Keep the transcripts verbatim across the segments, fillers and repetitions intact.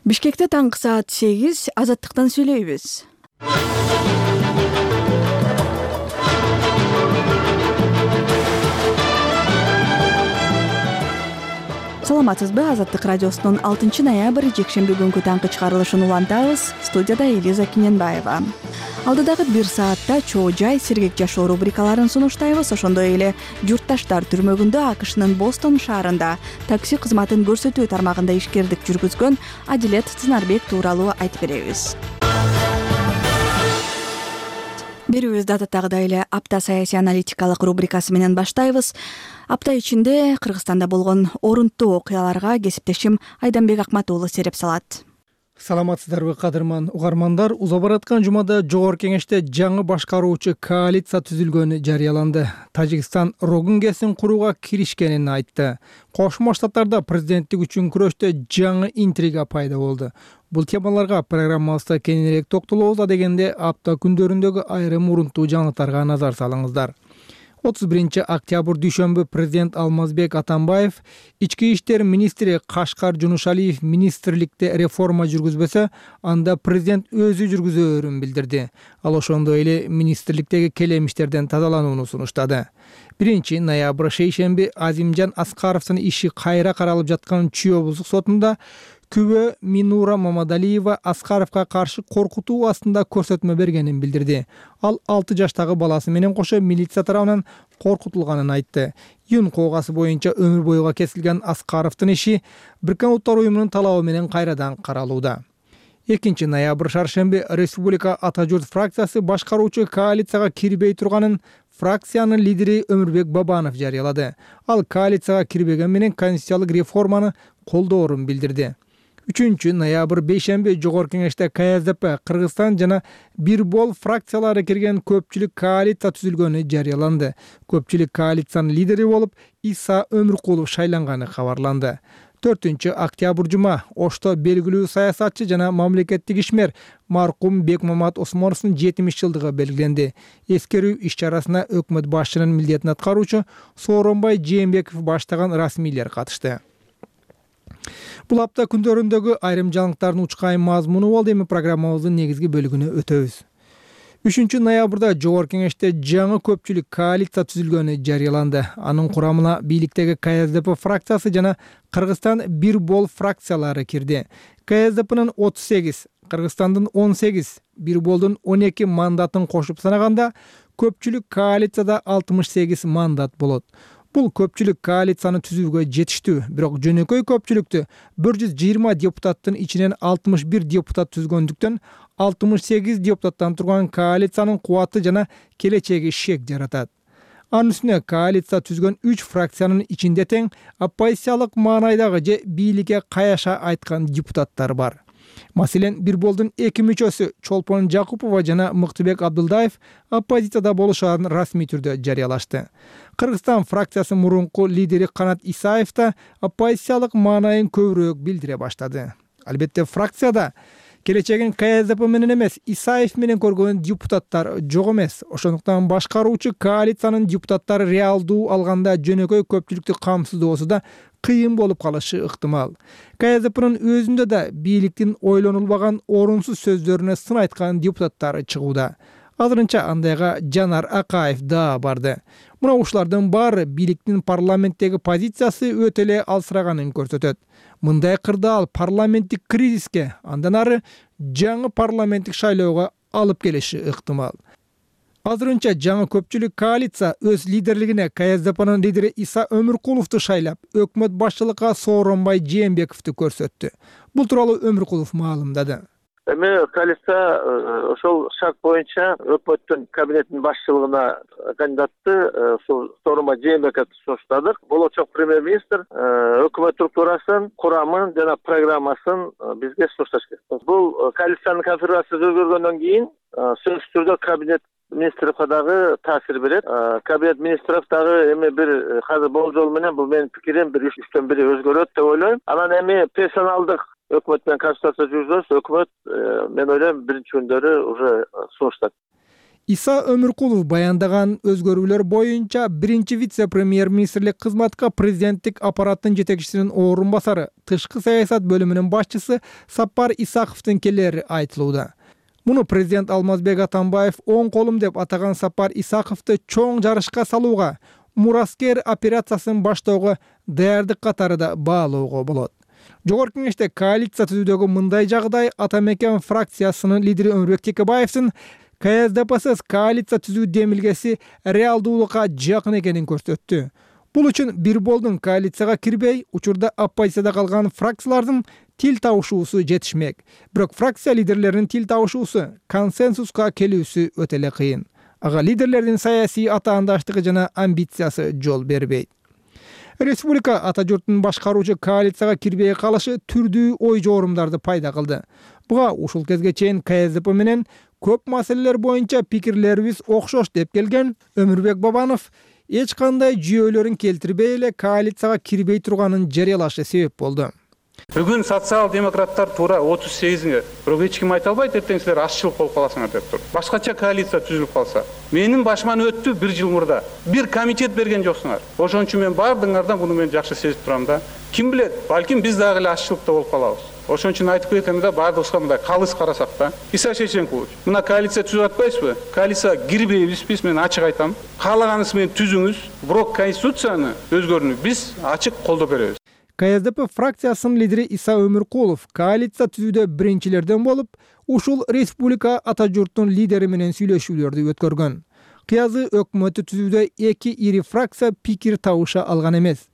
Бишкекте таңкы саат сегиз, Азаттыктан сүйлөйбүз. Саламатсызбы? Азаттык радиосунун алтынчы ноябрь жекшемби күнкү таңкы чыгарылышын улантабыз. Студияда Элиза Киненбаева. Алдыдагы бир саатта чоо жай, сергек жашоо рубрикаларын сунуштайбыз. Ошондой эле журтташтар түрмөгүндө АКШнын Бостон шаарында такси кызматын көрсөтүү тармагында ишкердик жүргүзгөн Адилет Цынарбек тууралуу айтып беребиз. Берүүбүздү адаттагыдай эле апта саясий аналитикалык рубрикасы менен баштайбыз. Апта ичинде Кыргызстанда болгон орунттуу окуяларга кесиптешим Айданбек Акматуулу сереп салат. Саламатсыздарбы, кадырман угармандар. Уза бараткан жумада Жогорку Кеңеште жаңы башкаруучу коалиция түзүлгөнү жарыяланды. Тажикстан Рогунгесин курууга киришкенин айтты. Кошмо Штаттарда президенттик үчүн күрөштө жаңы интрига пайда болду. Бул темаларга программабызда кеңирээк токтолобуз дегенде апта күндөрүндөгү айрым урунттуу жаңылыктарга назар салыңыздар. отуз биринчи октябрь дүйшөмбү президент Алмазбек Атамбаев, ички иштер министри Кашкар Жунушалиев министрликте реформа жүргүзбөсө, анда президент өзү жүргүзөөрүн билдирди. Ал ошондой эле министрликтеги келемиштерден тазаланууну сунуштады. биринчи ноябрь шейшемби Азимжан Аскаровдун иши кайра каралып жаткан Чүй облустук сотунда күбө Минура Мамадалиева Аскаровго каршы коркутуу астында көрсөтмө бергенин билдирди. Ал алты жаштагы баласы менен кошо милиция тарабынан коркутулганын айтты. Юн коогасы боюнча өмүр бойуга кесилген Аскаровдун иши Бириккен Улуттар уюмунун талабы менен кайрадан каралууда. экинчи ноябрь шаршемби Республика Ата журт фракциясы башкаруучу коалицияга кирбей турганын фракциянын лидери Өмүрбек Бабанов жарыялады. Ал коалицияга кирбеген менен конституциялык реформаны колдоорун билдирди. үчүнчү ноябрь бейшемби Жогорку Кеңеште КСДП, Кыргызстан жана Бир бол фракциялары кирген көпчүлүк коалиция түзүлгөнү жарыяланды. Көпчүлүк коалициянын лидери болуп Иса Өмүркулов шайланганы кабарланды. төртүнчү октябрь жума Ошто белгилүү саясатчы жана мамлекеттик ишмер маркум Бекмамат Осмоновдун жетимиш жылдыгы белгиленди. Эскерүү иш-чарасына өкмөт башчынын милдетин аткаруучу Сооронбай Жээнбеков баштаган расмийлер катышты. Бул апта күндөрүндөгү айрым жаңылыктардын учкайым мазмуну болду. Эми программабыздын негизги бөлүгүнө өтөбүз. үчүнчү ноябрда Жогорку Кеңеште жаңы көпчүлүк коалиция түзүлгөнү жарыяланды. Анын курамына бийликтеги КСДП фракциясы жана Кыргызстан Бир бол фракциялары кирди. КСДПнын отуз сегиз, Кыргызстандын он сегиз, Бир болдун он эки мандатын кошуп санаганда көпчүлүк коалицияда алтымыш сегиз мандат болот. Бул көпчүлүк коалицияны түзүүгө жетиштүү, бирок жөнөкөй көпчүлүктү бир жүз жыйырма депутаттын ичинен алтымыш бир депутат түзгөндүктөн алтымыш сегиз депутаттан турган коалициянын кубаты жана келечеги шек жаратат. Анын үстүнө коалиция түзгөн үч фракциянын ичинде тең оппозициялык маанайдагы же бийликке каяша айткан депутаттар бар. Маселен, Бир болдун эки мүчөсү Чолпон Жакупова жана Мыктыбек Абдылдаев оппозицияда болушарын расмий түрдө жарыялашты. Кыргызстан фракциясы мурунку лидери Канат Исаев да оппозициялык маанайын көбүрөөк билдире баштады. Албетте, фракцияда келечегин КСДП менен эмес, Исаев менен көргөн депутаттар жок эмес. Ошондуктан башкаруучу коалициянын депутаттары реалдуу алганда жөнөкөй көпчүлүктү камсыздоосу да кыйын болуп калышы ыктымал. КСДПнын өзүндө да бийликтин ойлонулбаган орунсуз сөздөрүнө сын айткан депутаттары чыгууда. Азырынча андайга Жанар Акаев да барды. Мына ушулардын баары бийликтин парламенттеги позициясы өтө эле алсыраганын көрсөтөт. Мындай кырдаал парламенттик кризиске, андан ары жаңы парламенттик шайлоого алып келиши ыктымал. Азырынча жаңы көпчүлүк коалиция өз лидерлигине КСДПнын лидери Иса Өмүркуловду шайлап, өкмөт башчылыкка Сооронбай Жээнбековду көрсөттү. Бул тууралуу Өмүркулов маалымдады. Эми коалиция ошол шарт боюнча өкмөттүн кабинетинин башчылыгына кандидатты Сооронбай Жээнбековду сунуштадык. Болочок премьер-министр өкмөт структурасын, курамын жана программасын бизге сунушташ керек. Бул коалициянын конфигурациясы өзгөргөндөн кийин сөзсүз түрдө кабинет министрликке дагы таасир берет. Кабинет министров дагы эми бир азыр болжол менен бул менин пикирим бир үчтөн бири өзгөрөт деп ойлойм. Анан эми персоналдык өкмөт менен консультация жүргүзөбүз. Өкмөт мен ойлойм биринчи күндөрү уже сунуштат. Иса Өмүркулов баяндаган өзгөрүүлөр боюнча биринчи вице-премьер-министрлик кызматка президенттик аппараттын жетекчисинин орун басары, тышкы саясат бөлүмүнүн башчысы Сапар Исаковдун келери айтылууда. Муну президент Алмазбек Атамбаев оң колум деп атаган Сапар Исаковду чоң жарышка салууга, Мураскер операциясын баштоого даярдык катары да баалоого болот. Жогорку кеңеште коалиция түзүүдөгү мындай жагдай Атамекен фракциясынын лидери Өмүрбек Текебаевдин КСДПсыз коалиция түзүү демилгеси реалдуулукка жакын экенин көрсөттү. Бул үчүн бир болдун коалицияга кирбей, учурда оппозицияда калган фракциялардын тил табышуусу жетишмек. Бирок фракция лидерлеринин тил табышуусу, консенсуска келүүсү өтө эле кыйын. Ага лидерлердин саясий атаандаштыгы жана амбициясы жол бербейт. Республика ата журтун башкаруучу коалицияга кирбей калышы түрдүү ой жоорумдарды пайда кылды. Буга ушул кезге чейин КСДП менен көп маселелер боюнча пикирлерибиз окшош деп келген Өмүрбек Бабанов эч кандай жүйөлөрүн келтирбей эле коалицияга кирбей турганын жарыялашы себеп болду. Бүгүн социал-демократтар туура отуз сегизинге, бирок эч ким айта албайт, эртең силер ашчылык болуп каласыңар деп тур. Башкача коалиция түзүлүп калса, менин башыман өттү бир жыл мурда. Бир комитет берген жоксуңар. Ошон үчүн мен бардыңардан муну мен жакшы сезип турам да. Ким билет, балким биз дагы эле ашчылыкта болуп калабыз. Ошон үчүн айтып кетем да, бардыгыбызга мындай калыс карасак да. Иса Шейшенкович, мына коалиция түзүп атпайсызбы? Коалицияга кирбейбиз биз, мен ачык айтам. Каалаганыңыз менен түзүңүз, бирок конституцияны өзгөрүүнү биз ачык колдоп беребиз. КСДП фракциясынын лидери Иса Өмүркулов коалиция түзүүдө биринчилерден болуп, ушул республика ата журттун лидери менен сүйлөшүүлөрдү өткөргөн. Кыязы өкмөтү түзүүдө эки ири фракция пикир табыша алган эмес.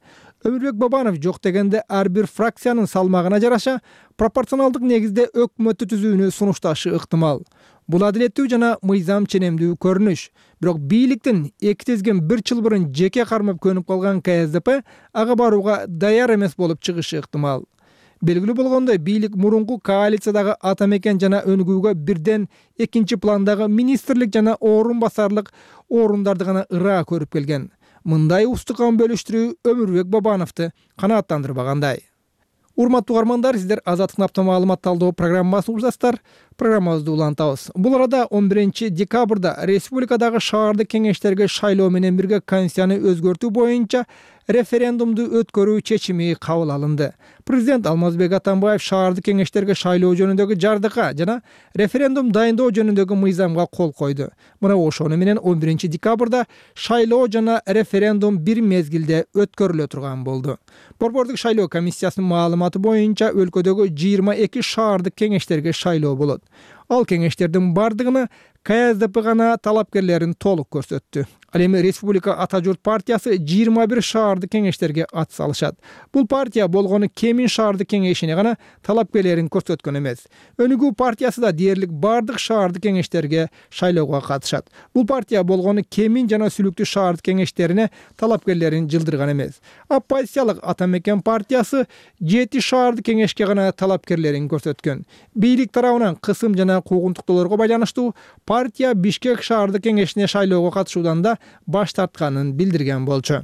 Өмүрбек Бабанов жок дегенде ар бир фракциянын салмагына жараша пропорционалдык негизде өкмөтү түзүүнү сунушташы ыктымал. Бул адилеттүү жана мыйзам ченемдүү көрүнүш. Бирок бийликтин эки тезген бир жыл мурун жеке кармап көнүп калган КСДП ага барууга даяр эмес болуп чыгышы ыктымал. Белгилүү болгондой, бийлик мурунку коалициядагы Атамекен жана Өнүгүүгө бирден экинчи пландагы министрлик жана орун басарлык орундарды гана ыраа көрүп келген. Мындай устукан бөлүштүрүү Өмүрбек Бабановду канааттандырбагандай. Урматтуу угармандар, сиздер Азаттык апта маалымат талдоо программасын угушасыздар. Программабызды улантабыз. Бул арада он биринчи декабрда республикадагы шаардык кеңештерге шайлоо менен бирге конституцияны өзгөртүү боюнча референдумду өткөрүү чечими кабыл алынды. Президент Алмазбек Атамбаев шаардык кеңештерге шайлоо жөнүндөгү жардыка жана референдум дайындоо жөнүндөгү мыйзамга кол койду. Мына ошону менен он биринчи декабрда шайлоо жана референдум бир мезгилде өткөрүлө турган болду. Борбордук шайлоо комиссиясынын маалыматы боюнча өлкөдөгү жыйырма эки шаардык кеңештерге шайлоо болот. Ал кеңештердин бардыгына КСДП гана талапкерлерин толук көрсөттү. Ал эми Республика Ата журт партиясы жыйырма бир шаардык кеңештерге ат салышат. Бул партия болгону Кемин шаардык кеңешине гана талапкерлерин көрсөткөн эмес. Өнүгүү партиясы да дээрлик бардык шаардык кеңештерге шайлоого катышат. Бул партия болгону Кемин жана Сүлүктүү шаардык кеңештерине талапкерлерин жылдырган эмес. Оппозициялык Атамекен партиясы жети шаардык кеңешке гана талапкерлерин көрсөткөн. Бийлик тарабынан кысым жана куугунтуктоолорго байланыштуу партия Бишкек шаардык кеңешине шайлоого катышуудан да баш тартканын билдирген болчу.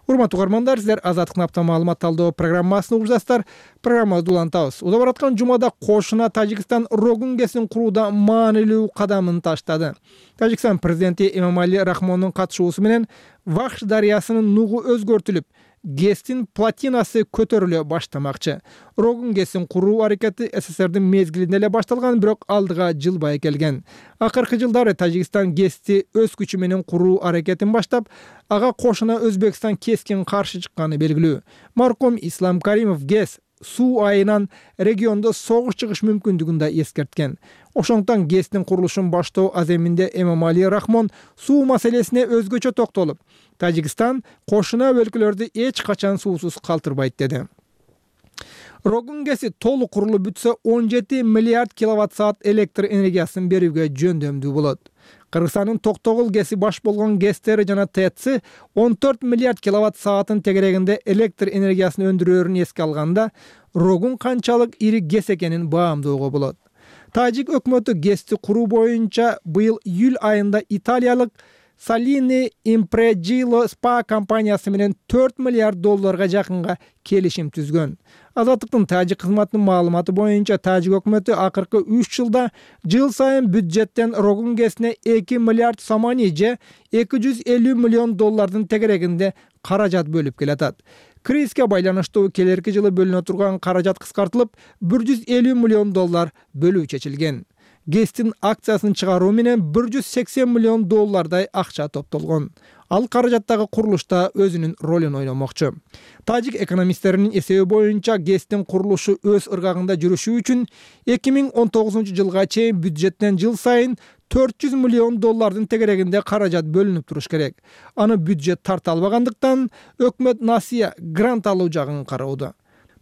Урматтуу угармандар, сиздер Азаттык апта маалымат талдоо программасын угушасыздар. Программабызды улантабыз. Удап бараткан жумада кошуна Тажикстан Рогун ГЭСин курууда маанилүү кадамын таштады. Тажикстан президенти Эмомали Рахмондун катышуусу менен Вахш дарыясынын нугу өзгөртүлүп, ГЭСтин платинасы көтөрүлө баштамакчы. Рогун ГЭСин куруу аракети СССРдин мезгилинде эле башталган, бирок алдыга жылбай келген. Акыркы жылдары Тажикстан ГЭСти өз күчү менен куруу аракетин баштап, ага кошуна Өзбекстан кескин каршы чыкканы белгилүү. Марком Ислам Каримов ГЭС суу айынан региондо согуш чыгыш мүмкүндүгүн да эскерткен. Ошондуктан ГЭСтин курулушун баштоо аземинде Эмомали Рахмон суу маселесине өзгөчө токтолуп, Тажикстан кошуна өлкөлөрдү эч качан суусуз калтырбайт деди. Рогун ГЭСи толук курулуп бүтсө он жети миллиард киловатт саат электр энергиясын берүүгө жөндөмдүү болот. Кыргызстандын Токтогул ГЭСи баш болгон ГЭСтери жана ТЭЦи он төрт миллиард киловатт саатын тегерегинде электр энергиясын өндүрөөрүн эске алганда, Рогун канчалык ири ГЭС экенин баамдоого болот. Тажик өкмөтү ГЭСти куруу боюнча быйыл июль айында италиялык Salini Impregilo Spa компаниясы менен төрт миллиард долларга жакынга келишим түзгөн. Азаттыктын тажик кызматынын маалыматы боюнча тажик өкмөтү акыркы үч жылда жыл сайын бюджеттен Рогун ГЭСине эки миллиард сомони же эки жүз элүү миллион доллардын тегерегинде каражат бөлүп келатат. Кризиске байланыштуу келерки жылы бөлүнө турган каражат кыскартылып, бир жүз элүү миллион доллар бөлүү чечилген. ГЭСтин акциясын чыгаруу менен бир жүз сексен миллион доллардай акча топтолгон. Ал каражаттагы курулушта өзүнүн ролун ойномокчу. Тажик экономисттеринин эсеби боюнча ГЭСтин курулушу өз ыргагында жүрүшү үчүн эки миң он тогузунчу жылга чейин бюджеттен жыл сайын төрт жүз миллион доллардын тегерегинде каражат бөлүнүп туруш керек. Аны бюджет тарта албагандыктан өкмөт насыя грант алуу жагын кароодо.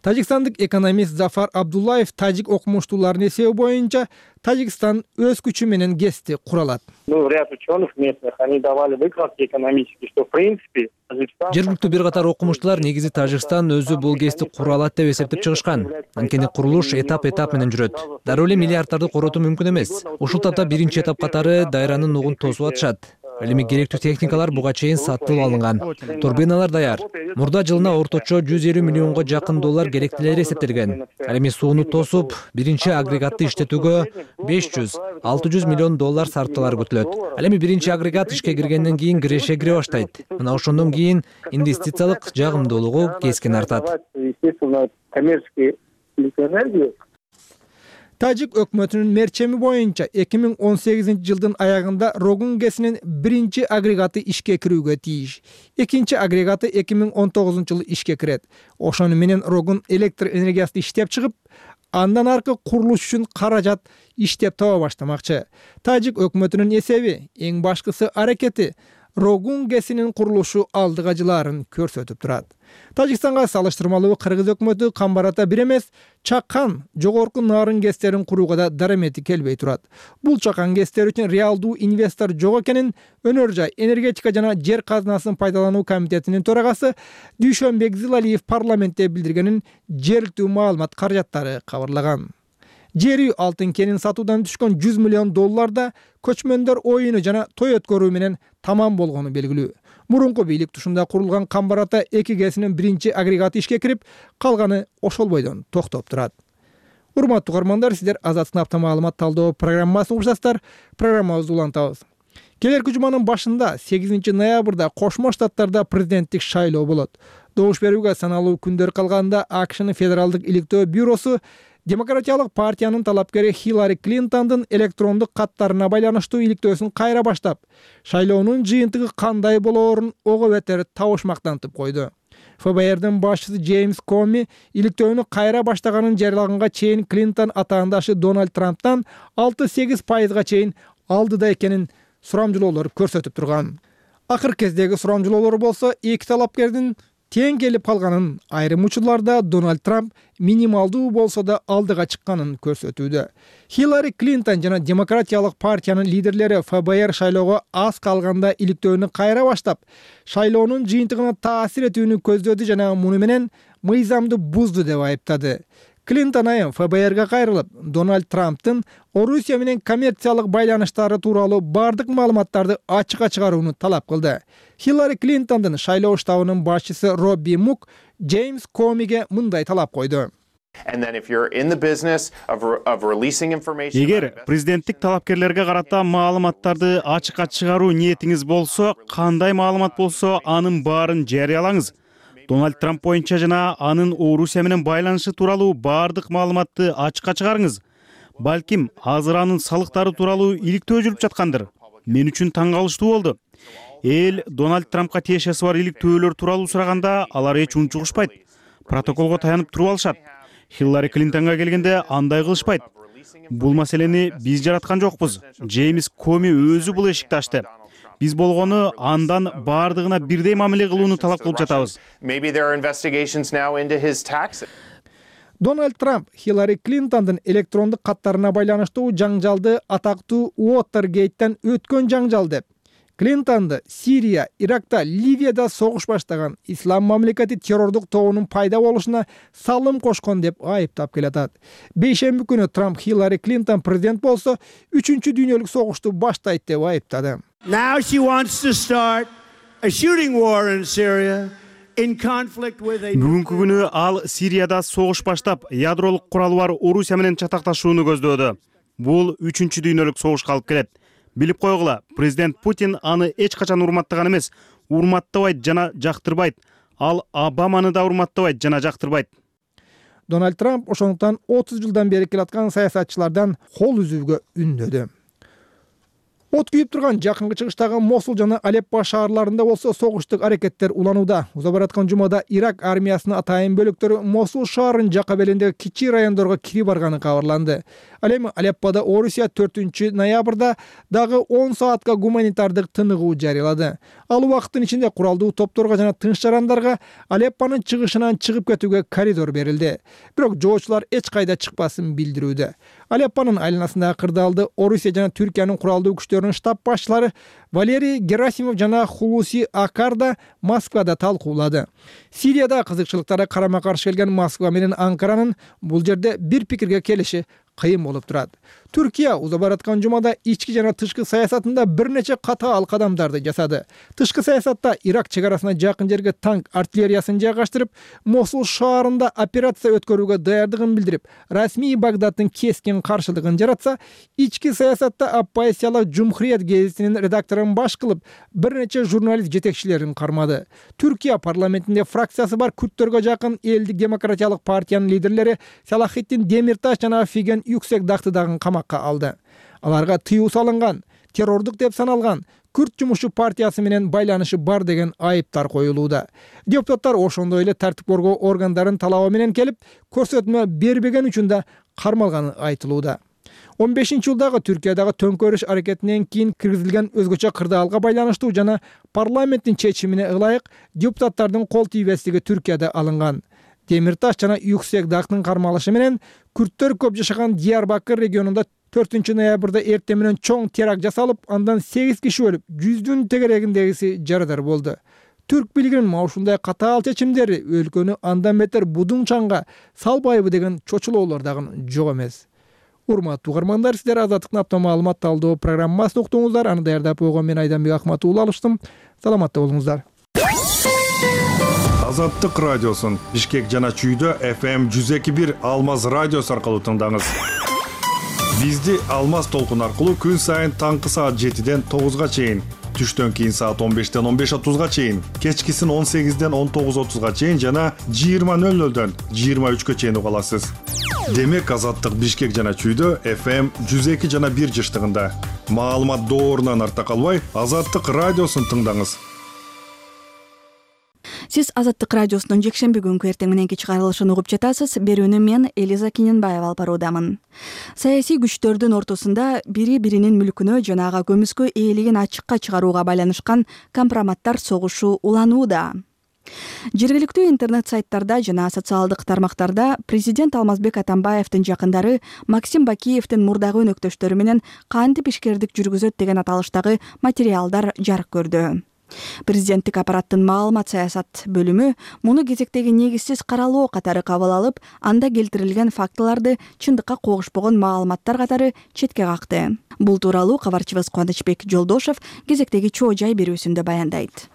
Тажикстандык экономист Зафар Абдуллаев тажик окумуштууларынын эсеби боюнча Тажикстан өз күчү менен ГЭСти кура алат. Ну, ряд ученых местных, они давали выкладки экономические, что в принципе Тажикстан... Жергиликтүү бир катар окумуштуулар негизи Тажикстан өзү бул ГЭСти кура алат деп эсептеп чыгышкан. Анткени курулуш этап-этап менен жүрөт. Дароо эле миллиарддарды коротуу мүмкүн эмес. Ушул тапта биринчи этап катары дайранын нугун тосуп атышат. Ал эми керектүү техникалар буга чейин сатылып алынган. Турбиналар даяр. Мурда жылына орточо жүз элүү миллионго жакын доллар керектелери эсептелген. Ал эми сууну тосуп, биринчи агрегатты иштетүүгө беш жүз алты жүз миллион доллар сарпталар күтүлөт. Ал эми биринчи агрегат ишке киргенден кийин киреше кире баштайт. Мына ошондон кийин инвестициялык жагымдуулугу кескин артат. Тажик өкмөтүнүн мерчеми боюнча эки миң он сегизинчи жылдын аягында Рогун ГЭСинин биринчи агрегаты ишке кирүүгө тийиш. Экинчи агрегаты эки миң он тогузунчу жылы ишке кирет. Ошону менен Рогун электр энергиясын иштеп чыгып, андан аркы курулуш үчүн каражат иштеп таба баштамакчы. Тажик өкмөтүнүн эсеби, эң башкысы аракети Рогун ГЭСинин курулушу алдыга жылаарын көрсөтүп турат. Тажикстанга салыштырмалуу кыргыз өкмөтү камбарата бир эмес, чакан жогорку нарын ГЭСтерин курууга да дарамети келбей турат. Бул чакан ГЭСтер үчүн реалдуу инвестор жок экенин Өнөр жай, энергетика жана жер казынасын пайдалануу комитетинин төрагасы Дүйшөнбек Зилалиев парламентте билдиргенин жергиликтүү маалымат каражаттары кабарлаган. Жер үй алтын кенин сатуудан түшкөн жүз миллион долларда көчмөндөр оюну жана той өткөрүү менен тамам болгону белгилүү. Мурунку бийлик тушунда курулган Камбарата эки ГЭСинин биринчи агрегаты ишке кирип, калганы ошол бойдон токтоп турат. Урматтуу угармандар, сиздер Азаттын апта маалымат талдоо программасын угушасыздар. Программабызды улантабыз. Келерки жуманын башында сегизинчи ноябрда Кошмо Штаттарда президенттик шайлоо болот. Добуш берүүгө саналуу күндөр калганда АКШнын федералдык иликтөө бюросу Демократиялык партиянын талапкери Хиллари Клинтондун электрондук каттарына байланыштуу иликтөөсүн кайра баштап, шайлоонун жыйынтыгы кандай болоорун ого бетер табышмактантып койду. ФБРдин башчысы Джеймс Коми иликтөөнү кайра баштаганын жарыялаганга чейин Клинтон атаандашы Дональд Трамптан алты сегиз пайызга чейин алдыда экенин сурамжылоолор көрсөтүп турган. Акыркы кездеги сурамжылоолор болсо эки талапкердин тең келип калганын, айрым учурларда Дональд Трамп минималдуу болсо да алдыга чыкканын көрсөтүүдө. Хиллари Клинтон жана Демократиялык партиянын лидерлери ФБР шайлоого аз калганда иликтөөнү кайра баштап, шайлоонун жыйынтыгына таасир этүүнү көздөдү жана муну менен мыйзамды бузду деп айыптады. Клинтон айым ФБРга кайрылып, Дональд Трамптын Орусия менен коммерциялык байланыштары тууралуу бардык маалыматтарды ачыкка чыгарууну талап кылды. Хиллари Клинтондун шайлоо штабынын башчысы Робби Мук Джеймс Комиге мындай талап койду. Эгер президенттик талапкерлерге карата маалыматтарды ачыкка чыгаруу ниетиңиз болсо, кандай маалымат болсо, анын баарын жарыялаңыз. Дональд Трамп боюнча жана анын Орусия менен байланышы тууралуу бардык маалыматты ачыкка чыгарыңыз. Балким азыр анын салыктары тууралуу иликтөө жүрүп жаткандыр. Мен үчүн таң калыштуу болду. Эл Дональд Трампка тиешеси бар иликтөөлөр тууралуу сураганда алар эч унчугушпайт. Протоколго таянып туруп алышат. Хиллари Клинтонго келгенде андай кылышпайт. Бул маселени биз жараткан жокпуз. Джеймс Коми өзү бул эшикти ачты. Биз болгону андан бардыгына бирдей мамиле кылууну талап кылып жатабыз. Дональд Трамп Хиллари Клинтондун электрондук каттарына байланыштуу жаңжалды атактуу Уотергейттен өткөн жаңжал деп, Клинтонду Сирия, Иракта, Ливияда согуш баштаган ислам мамлекети террордук тобунун пайда болушуна салым кошкон деп айыптап келатат. Бейшемби күнү Трамп Хиллари Клинтон президент болсо, үчүнчү дүйнөлүк согушту баштайт деп айыптады. Now she wants to start a shooting war in Syria. Бүгүнкү күнү ал Сирияда согуш баштап, ядролук куралы бар Орусия менен чатакташууну көздөөдө. Бул үчүнчү дүйнөлүк согушка алып келет. Билип койгула, президент Путин аны эч качан урматтаган эмес, урматтабайт жана жактырбайт. Ал Обаманы да урматтабайт жана жактырбайт. Дональд Трамп ошондуктан отуз жылдан бери келаткан саясатчылардан кол үзүүгө үндөдү. От күйүп турган жакынкы чыгыштагы Мосул жана Алеппо шаарларында болсо согуштук аракеттер уланууда. Уза бараткан жумада Ирак армиясынын атайын бөлүктөрү Мосул шаарынын жака белиндеги кичи райондорго кирип барганы кабарланды. Ал эми Алепподо Орусия төртүнчү ноябрда дагы он саатка гуманитардык тыныгуу жарыялады. Ал убакыттын ичинде куралдуу топторго жана тынч жарандарга Алеппонун чыгышынан чыгып кетүүгө коридор берилди. Бирок жоочулар эч кайда чыкпасын билдирүүдө. Алеппонун айланасындагы кырдаалды Орусия жана Түркиянын куралдуу күчтөрүнүн штаб башчылары Валерий Герасимов жана Хулуси Акарда Москвада талкуулады. Сирияда кызыкчылыктары карама-каршы келген Москва менен Анкаранын бул жерде бир пикирге келиши кыйын болуп турат. Түркия уза бараткан жумада ички жана тышкы саясатында бир нече катаал кадамдарды жасады. Тышкы саясатта Ирак чек арасына жакын жерге танк артиллериясын жайгаштырып, Мосул шаарында операция өткөрүүгө даярдыгын билдирип, расмий Багдадтын кескин каршылыгын жаратса, ички саясатта оппозициялык Жумхурият гезитинин редакторун баш кылып, бир нече журналист жетекчилерин кармады. Түркия парламентинде фракциясы бар күрттөргө жакын Элдик демократиялык партиянын лидерлери Салахитдин Демирташ жана Фиген Юксек Дактыдагы камакка алды. Аларга тыюу салынган, террордук деп саналган Күрт жумушчу партиясы менен байланышы бар деген айыптар коюлууда. Депутаттар ошондой эле тартип коргоо органдарын талабы менен келип, көрсөтмө бербеген үчүн да кармалганы айтылууда. он бешинчи жылдагы Түркиядагы төңкөрүш аракетинен кийин киргизилген өзгөчө кырдаалга байланыштуу жана парламенттин чечимине ылайык депутаттардын кол тийбестиги Түркияда алынган. Демирташ жана Юксек Дактын кармалышы менен күрттөр көп жашаган Диярбакыр регионунда төртүнчү ноябрда эртең менен чоң теракт жасалып, андан сегиз киши өлүп, жүздүн тегерегиндегиси жарадар болду. Түрк бийлигинин ушундай катаал чечимдери өлкөнү андан бетер будун чаңга салбайбы деген чочулоолор дагы жок эмес. Урматтуу угармандар, сиздер Азаттыктын апта маалымат талдоо программасын уктуңуздар. Аны даярдап койгон мен Айданбек Акматуулу алыштым. Саламатта болуңуздар. Азаттык радиосун Бишкек жана Чүйдө эф эм жүз эки бир Алмаз радиосу аркылуу тыңдаңыз. Бизди Алмаз толкун аркылуу күн сайын таңкы саат жетиден тогузга чейин, түштөн кийин саат он бештен он беш отузга чейин, кечкисин он сегизден он тогуз отузга чейин жана жыйырма нөл нөлдөн жыйырма үчкө чейин уга аласыз. Демек Азаттык Бишкек жана Чүйдө эф эм жүз эки жана бир жыштыгында. Маалымат доорунан арта калбай, Азаттык радиосун тыңдаңыз. Сиз Азаттык радиосунун жекшемби күнкү эртең мененки чыгарылышын угуп жатасыз. Берүүнү мен Элиза Киненбаева алып баруудамын. Саясий күчтөрдүн ортосунда бири-биринин мүлкүнө жана ага көмүскө ээлигин ачыкка чыгарууга байланышкан компроматтар согушу уланууда. Жергиликтүү интернет сайттарда жана социалдык тармактарда президент Алмазбек Атамбаевдин жакындары Максим Бакиевдин мурдагы өнөктөштөрү менен кантип ишкердик жүргүзөт деген аталыштагы материалдар жарык көрдү. Президенттик аппараттын маалымат саясат бөлүмү муну кезектеги негизсиз каралоо катары кабыл алып, анда келтирилген фактыларды чындыкка когушпогон маалыматтар катары четке какты. Бул тууралуу кабарчыбыз Кубанычбек Жолдошев кезектеги чоо жай берүүсүндө баяндайт.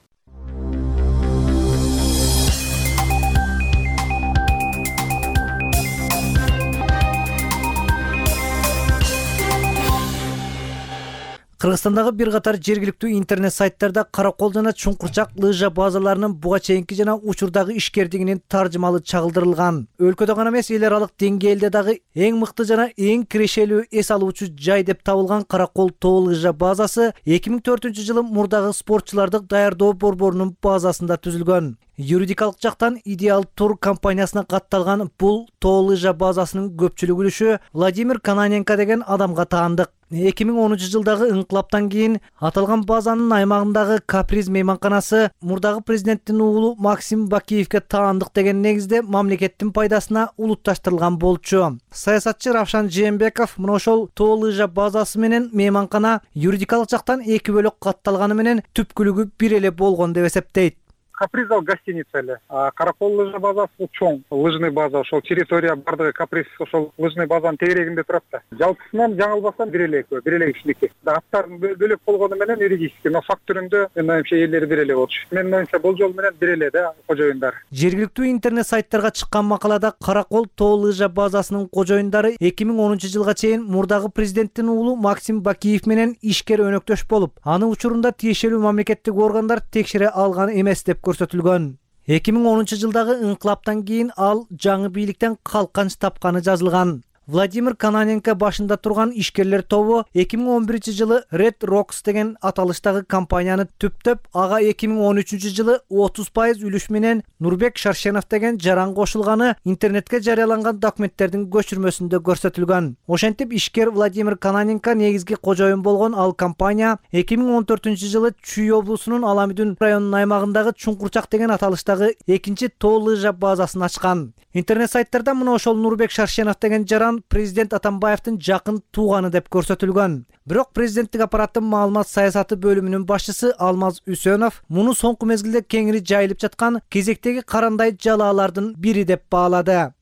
Кыргызстандагы бир катар жергиликтүү интернет сайттарда Каракол жана Чуңкурчак лыжа базаларынын буга чейинки жана учурдагы ишкердигинин таржымалы чагылдырылган. Өлкөдө гана эмес, эл аралык деңгээлде дагы эң мыкты жана эң кирешелүү эс алуучу жай деп табылган Каракол тоо лыжа базасы эки миң төртүнчү жылы мурдагы спортчуларды даярдоо борборунун базасында түзүлгөн. Юридикалык жактан Идеал Тур компаниясына катталган бул тоо лыжа базасынын көпчүлүк үлүшү Владимир Кононенко деген адамга таандык. эки миң онунчу жылдагы ыңкылаптан кийин аталган базанын аймагындагы Каприз мейманканасы мурдагы президенттин уулу Максим Бакиевке таандык деген негизде мамлекеттин пайдасына улутташтырылган болчу. Саясатчы Равшан Жээнбеков мына ошол тоо лыжа базасы менен мейманкана юридикалык жактан эки бөлөк катталганы менен түпкүлүгү бир эле болгон деп эсептейт. Каприз ал гостиница эле. Каракол лыжа базасы чоң лыжный база, ошол территория бардыгы Каприз ошол лыжный базанын тегерегинде турат да. Жалпысынан жаңылбасам бир эле экөө, бир эле кишиники. Аттарын бөлөк болгону менен юридически, но факт түрүндө мен оюмча ээлери бир эле болчу. Менин оюмча бул жол менен бир эле да кожоюндар. Жергиликтүү интернет сайттарга чыккан макалада Каракол тоо лыжа базасынын кожоюндары эки миң онунчу жылга чейин мурдагы президенттин уулу Максим Бакиев менен ишкер өнөктөш болуп, аны учурунда тиешелүү мамлекеттик органдар текшере алган эмес деп көрсөтүлгөн. эки миң онунчу жылдагы ыңкылаптан кийин ал жаңы бийликтен калканч тапканы жазылган. Владимир Кононенко башында турган ишкерлер тобу эки миң он биринчи жылы Red Rocks деген аталыштагы компанияны түптөп, ага эки миң он үчүнчү жылы отуз пайыз үлүш менен Нурбек Шаршенов деген жаран кошулганы интернетке жарыяланган документтердин көчүрмөсүндө көрсөтүлгөн. Ошентип ишкер Владимир Кононенко негизги кожоюн болгон ал компания эки миң он төртүнчү жылы Чүй облусунун Аламүдүн районунун аймагындагы Чуңкурчак деген аталыштагы экинчи тоо лыжа базасын ачкан. Интернет сайттарда мына ошол Нурбек Шаршенов деген жаран президент Атамбаевдин жакын тууганы деп көрсөтүлгөн. Бирок президенттик аппараттын маалымат саясаты бөлүмүнүн башчысы Алмаз Үсөнов муну соңку мезгилде кеңири жайылып жаткан кезектеги карандай жалаалардын бири деп баалады.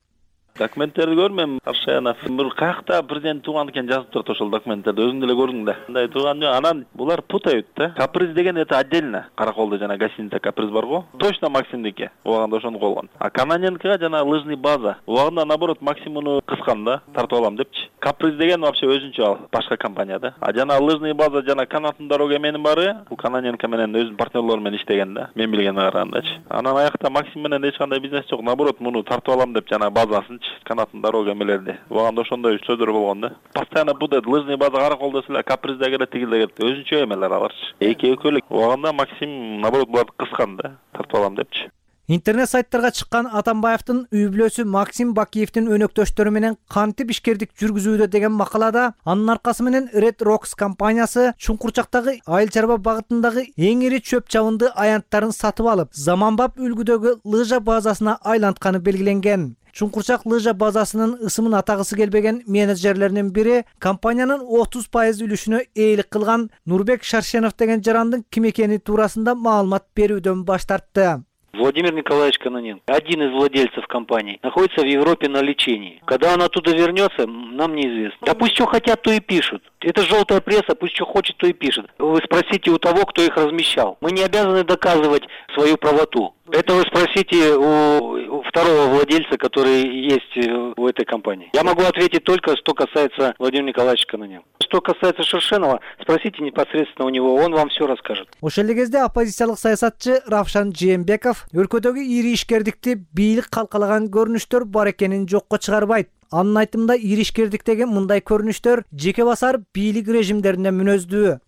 Документтерди көрмөйм. Аршаянов бир каякта президент тууган экен жазып турат ошол документтерди. Өзүң деле көрдүң да. Мындай тууган жок. Анан булар путают да. Каприз деген это отдельно. Караколдо жана гостиница Каприз барго. Точно Максимдики. Убагында ошону колгон. А Кононенкога жана лыжный база. Убагында наоборот Максим муну кыскан да. Тартып алам депчи. Каприз деген вообще өзүнчө ал башка компания да. А жана лыжный база жана канаттын дорога эменин баары бул Кононенко менен өзүнүн партнерлору менен иштеген да. Мен билгениме карагандачы. Анан аякта Максим менен эч кандай бизнес жок. Наоборот муну тартып алам деп жана базасын канаттын дорога эмелерди. Убагында ошондой сөздөр болгон да. Постоянно буде лыжный база Караколдо эле, Капризде келет, тигилде келет. Өзүнчө эмелер аларчы. Эки экөөлүк. Убагында Максим наоборот буларды кыскан да, тартып алам депчи. Интернет сайттарга чыккан Атамбаевдин үй бүлөсү Максим Бакиевдин өнөктөштөрү менен кантип ишкердик жүргүзүүдө деген макалада анын аркасы менен Red Rocks компаниясы Чуңкурчактагы айыл чарба багытындагы эң ири чөп чабынды аянттарын сатып алып, заманбап үлгүдөгү лыжа базасына айлантканы белгиленген. Чуңкурчак лыжа базасынын ысымын атагысы келбеген менеджерлеринин бири компаниянын отуз пайыз үлүшүнө ээлик кылган Нурбек Шаршенов деген жарандын ким экени туурасында маалымат берүүдөн баш тартты. Владимир Николаевич Кононенко, один из владельцев компании, находится в Европе на лечении. Когда он оттуда вернется, нам неизвестно. Да пусть что хотят, то и пишут. Это желтая пресса, пусть что хочет, то и пишет. Вы спросите у того, кто их размещал. Мы не обязаны доказывать свою правоту. Это вы спросите у второго владельца, который есть в этой компании. Я могу ответить только, что касается Владимира Николаевича Кононенко. Что касается Шершенова, спросите непосредственно у него, он вам все расскажет. Ошол эле кезде оппозициялык саясатчы Равшан Жээнбеков өлкөдөгү ири ишкердикти бийлик калкалаган көрүнүштөр бар экенин жокко чыгарбайт. Анын айтымында ири ишкердиктеги мындай көрүнүштөр жеке басар бийлик режимдерине мүнөздүү.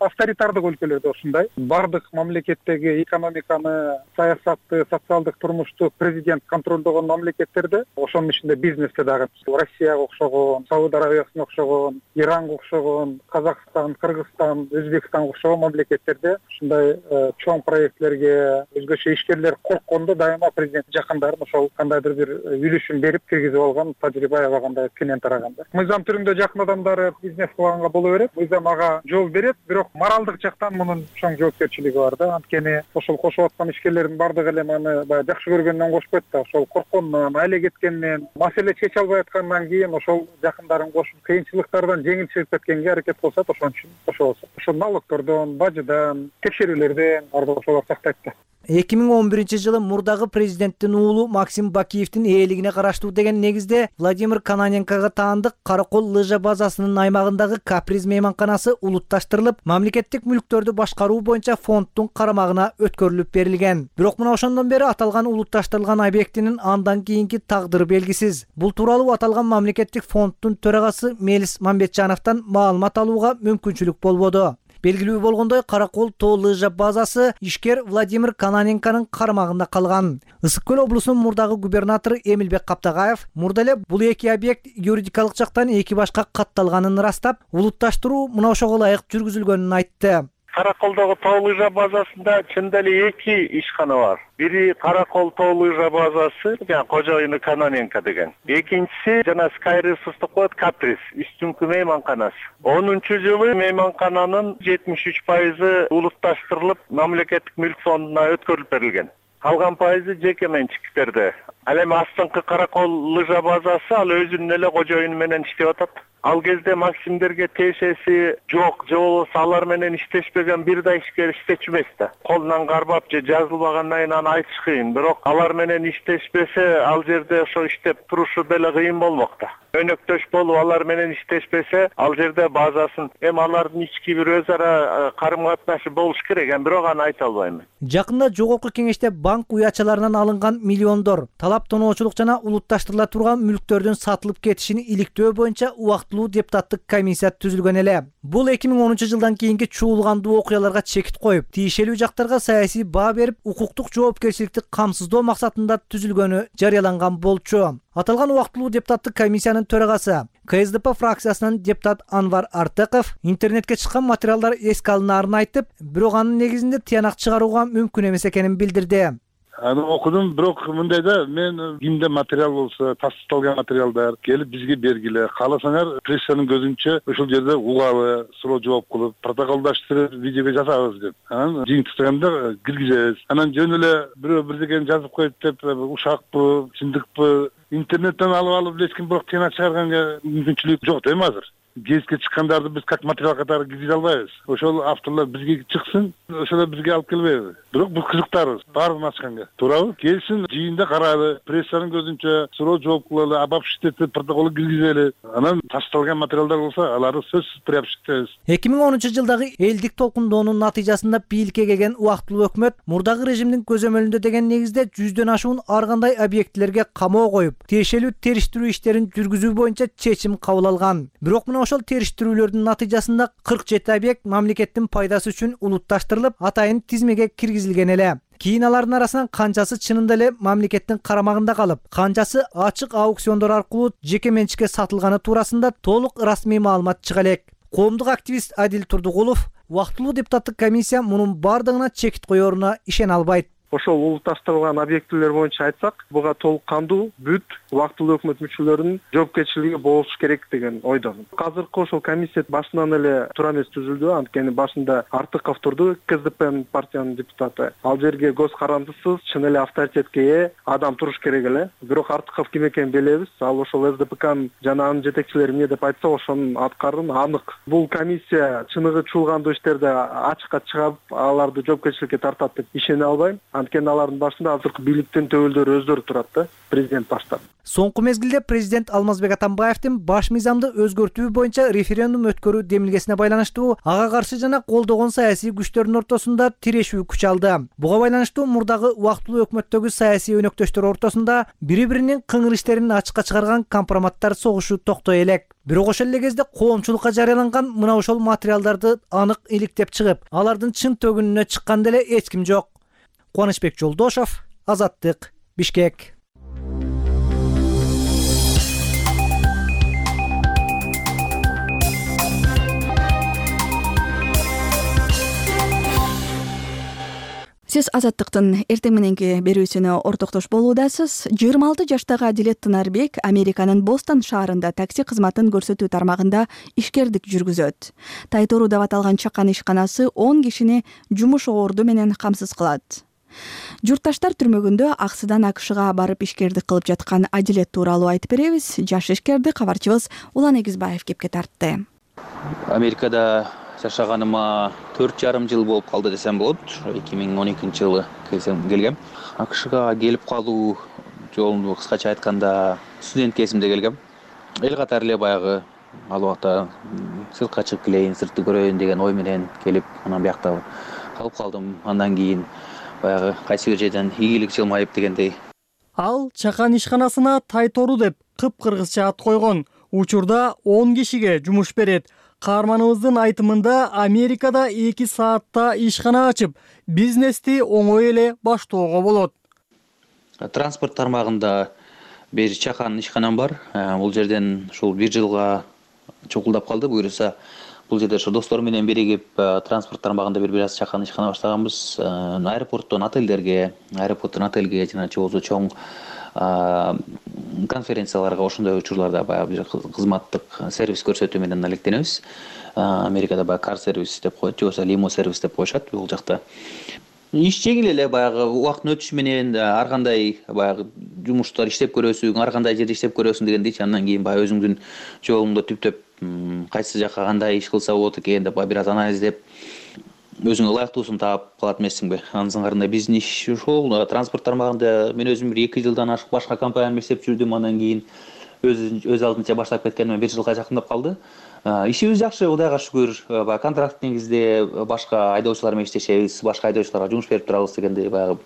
Авторитардык өлкөлөрдө ушундай. Бардык мамлекеттеги экономиканы, саясатты, социалдык турмушту президент контролдогон мамлекеттерде, ошонун ичинде бизнесте дагы Россияга окшогон, Сауд Арабиясына окшогон, Иранга окшогон, Казакстан, Кыргызстан, Өзбекстанга окшогон мамлекеттерде ушундай чоң проектлерге өзгөчө ишкерлер корккондо дайыма президент жакындарын ошол кандайдыр бир үлүшүн берип киргизип алган тажрыйба аябагандай кенен тараганда. Мыйзам түрүндө жакын адамдары бизнес кылганга боло берет, мыйзам ага жол берет, бирок моралдык жактан мунун чоң жоопкерчилиги бар да. Анткени ошол кошуп аткан ишкерлердин бардыгы эле маны баягы жакшы көргөндөн кошпойт да. Ошол корккондон, айла кеткенден, маселе чече албай аткандан кийин ошол жакындарын кошуп, кыйынчылыктардан жеңил чыгып кеткенге аракет кылышат, ошон үчүн кошо болсо. Ошол налогтордон, бажыдан, текшерүүлөрдөн бардык ошолор сактайт да. эки миң он биринчи жылы мурдагы президенттин уулу Максим Бакиевдин ээлигине караштуу деген негизде Владимир Кононенкого таандык Каракол лыжа базасынын аймагындагы Каприз мейманканасы улутташтырылып, мамлекеттик мүлктөрдү башкаруу боюнча фонддун карамагына өткөрүлүп берилген. Бирок мына ошондон бери аталган улутташтырылган объектинин андан кийинки тагдыры белгисиз. Бул тууралуу аталган мамлекеттик фонддун төрагасы Мелис Мамбетжановдон маалымат алууга мүмкүнчүлүк болбоду. Белгилүү болгондой, Каракол тоо лыжа базасы ишкер Владимир Кононенконун карамагында калган. Ысык көл облусунун мурдагы губернатору Эмилбек Каптагаев мурда эле бул эки объект юридикалык жактан эки башка катталганын ырастап, улутташтыруу мына ошого ылайык жүргүзүлгөнүн айтты. Караколдогу тоо лыжа базасында чындап эле эки ишкана бар. Бири Каракол тоо лыжа базасы, жана кожоюну Кононенко деген. Экинчиси жана Sky Resource деп коет Каприз, үстүңкү мейманканасы. онунчу жылы мейманкананын жетимиш үч пайызы улутташтырылып, мамлекеттик мүлк фондуна өткөрүлүп берилген. Калган пайызы жеке менчиктерде. Ал эми астыңкы Каракол лыжа базасы ал өзүнүн эле кожоюну менен иштеп атат. Ал кезде Максимдерге тиешеси жок, же болбосо алар менен иштешпеген бир да ишкер иштечү эмес да. Колунан кармап же жазылбагандан кийин аны айтыш кыйын. Бирок алар менен иштешпесе, ал жерде ошо иштеп турушу деле кыйын болмок да. Өнөктөш болуп алар менен иштешпесе, ал жерде базасын эми алардын ички бир өз ара карым катнашы болуш керек, эми бирок аны айта албайм. Жакында жогорку кеңеште банк уячаларынан алынган миллиондор талап тоноочулук жана улутташтырыла турган мүлктөрдүн сатылып кетишин иликтөө боюнча убактылуу депутаттык комиссия түзүлгөн эле. Бул эки миң онунчу жылдан кийинки чуулгандуу окуяларга чекит коюп, тиешелүү жактарга саясий баа берип, укуктук жоопкерчиликти камсыздоо максатында түзүлгөнү жарыяланган болчу. Аталган убактылуу депутаттык комиссиянын төрагасы К С Д П фракциясынын депутат Анвар Артыков интернетке чыккан материалдар эске алынаарын айтып, бирок анын негизинде тыянак чыгарууга мүмкүн эмес экенин билдирди. Аны окудум, бирок мындай да, мен кимде материал болсо, тастыкталган материалдар келип бизге бергиле. Кааласаңар, прессанын көзүнчө ошол жерде угабы, суроо жооп кылып, протоколдаштырып, видеого жасабыз деп. Анан жыйынтыктаганда киргизебиз. Анан жөн эле бирөө бирдекени жазып коет деп, ушакпы, чындыкпы, интернеттен алып алып эч ким бирок тыянак чыгарганга мүмкүнчүлүк жок дейм азыр. Гезитке чыккандарды биз как материал катары киргизе албайбыз. Ошол авторлор бизге чыксын, ошол бизге алып келбейби. Бирок бул кызыктарбыз, баарын ачканга. Туурабы? Келсин, жыйында карайлы, прессанын көзүнчө суроо жооп кылалы, обобщитетип протокол киргизели. Анан ташталган материалдар болсо, аларды сөзсүз приобщитебиз. эки миң онунчу жылдагы элдик толкундоонун натыйжасында бийликке келген убактылуу өкмөт мурдагы режимдин көзөмөлүндө деген негизде жүздөн ашуун ар кандай объектилерге камоо коюп, тиешелүү териштирүү иштерин жүргүзүү боюнча чечим кабыл алган. Бирок мына ошол териштирүүлөрдүн натыйжасында кырк жети объект мамлекеттин пайдасы үчүн улутташтырылып, атайын тизмеге киргизилген эле. Кийин алардын арасынан канчасы чынында эле мамлекеттин карамагында калып, канчасы ачык аукциондор аркылуу жеке менчикке сатылганы туурасында толук расмий маалымат чыга элек. Коомдук активист Адил Турдугулов убактылуу депутаттык комиссия мунун бардыгына чекит коёруна ишене албайт. Ошол улутташтырылган объектилер боюнча айтсак, буга толук кандуу бүт убактылуу өкмөт мүчөлөрүнүн жоопкерчилиги болуш керек деген ойдомун. Азыркы ошол комиссия башынан эле туура эмес түзүлдү, анткени башында Артыков турду, К С Д П партиянын депутаты. Ал жерге көз карандысыз, чын эле авторитетке ээ адам туруш керек эле. Бирок Артыков ким экенин билебиз. Ал ошол С Д П Кнын жана анын жетекчилери эмне деп айтса, ошонун аткарын анык. Бул комиссия чыныгы чуулгандуу иштерди ачыкка чыгып, аларды жоопкерчиликке тартат деп ишене албайм. Анткени алардын башында азыркы бийликтин төбөлдөрү өздөрү турат да, президент баштап. Соңку мезгилде президент Алмазбек Атамбаевдин баш мыйзамды өзгөртүү боюнча референдум өткөрүү демилгесине байланыштуу ага каршы жана колдогон саясий күчтөрдүн ортосунда тирешүү күч алды. Буга байланыштуу мурдагы убактылуу өкмөттөгү саясий өнөктөштөр ортосунда бири-биринин кыңыр иштерин ачыкка чыгарган компроматтар согушу токтой элек. Бирок ошол эле кезде коомчулукка жарыяланган мына ошол материалдарды анык иликтеп чыгып, алардын чын төгүнүнө чыккан деле эч ким жок. Кубанычбек Жолдошов, Азаттык, Бишкек. Сиз Азаттыктын эртең мененки берүүсүнө ортоктош болуудасыз. жыйырма алты жаштагы Адилет Тынарбек Американын Бостон шаарында такси кызматын көрсөтүү тармагында ишкердик жүргүзөт. Тайтору деп аталган чакан ишканасы он кишини жумуш орду менен камсыз кылат. Журтташтар түрмөгүндө аксыдан АКШга барып ишкердик кылып жаткан Адилет тууралуу айтып беребиз. Жаш ишкерди кабарчыбыз Улан Эгизбаев кепке тартты. Америкада жашаганыма төрт жарым жыл болуп калды десем болот. эки миң он экинчи жылы келгем. АКШга келип калуу жолун кыскача айтканда студент кезимде келгем. Эл катары эле баягы ал убакта сыртка чыгып келейин, сыртты көрөйүн деген ой менен келип, анан биякта калып калдым. Андан кийин баягы кайсы бир жерден ийгилик жылмайып дегендей. Ал чакан ишканасына Тайтору деп кыпкыргызча ат койгон. Учурда он кишиге жумуш берет. каарманыбыздын айтымында Америкада эки саатта ишкана ачып, бизнести оңой эле баштоого болот. Транспорт тармагында бир чакан ишканам бар. Бул жерден ушул бир жылга чукулдап калды. Буюрса, бул жерде ошо досторум менен биригип транспорт тармагында бир бир аз чакан ишкана баштаганбыз. Аэропорттон отелдерге, аэропорттон отелге жана болбосо чоң конференцияларга ошондой учурларда баягы бир кызматтык сервис көрсөтүү менен алектенебиз. Америкада баягы кар сервис деп коет, же болбосо лимо сервис деп коюшат бул жакта. Иш жеңил эле, баягы убакыттын өтүшү менен ар кандай баягы жумуштар иштеп көрөсүң, ар кандай жерде иштеп көрөсүң дегендейчи. Андан кийин баягы өзүңдүн жолуңду түптөп кайсы жакка кандай иш кылса болот экен деп бир аз анализдеп өзүңө ылайыктуусун таап калат эмессиңби? Анын сыңарында биздин иш ушул. Транспорт тармагында мен өзүм бир эки жылдан ашык башка компанияда иштеп жүрдүм. Андан кийин өз өз алдынча баштап кеткениме бир жылга жакындап калды. Ишибиз жакшы, Кудайга шүгүр. Баягы контракт негизде башка айдоочулар менен иштешебиз, башка айдоочуларга жумуш берип турабыз дегендей баягы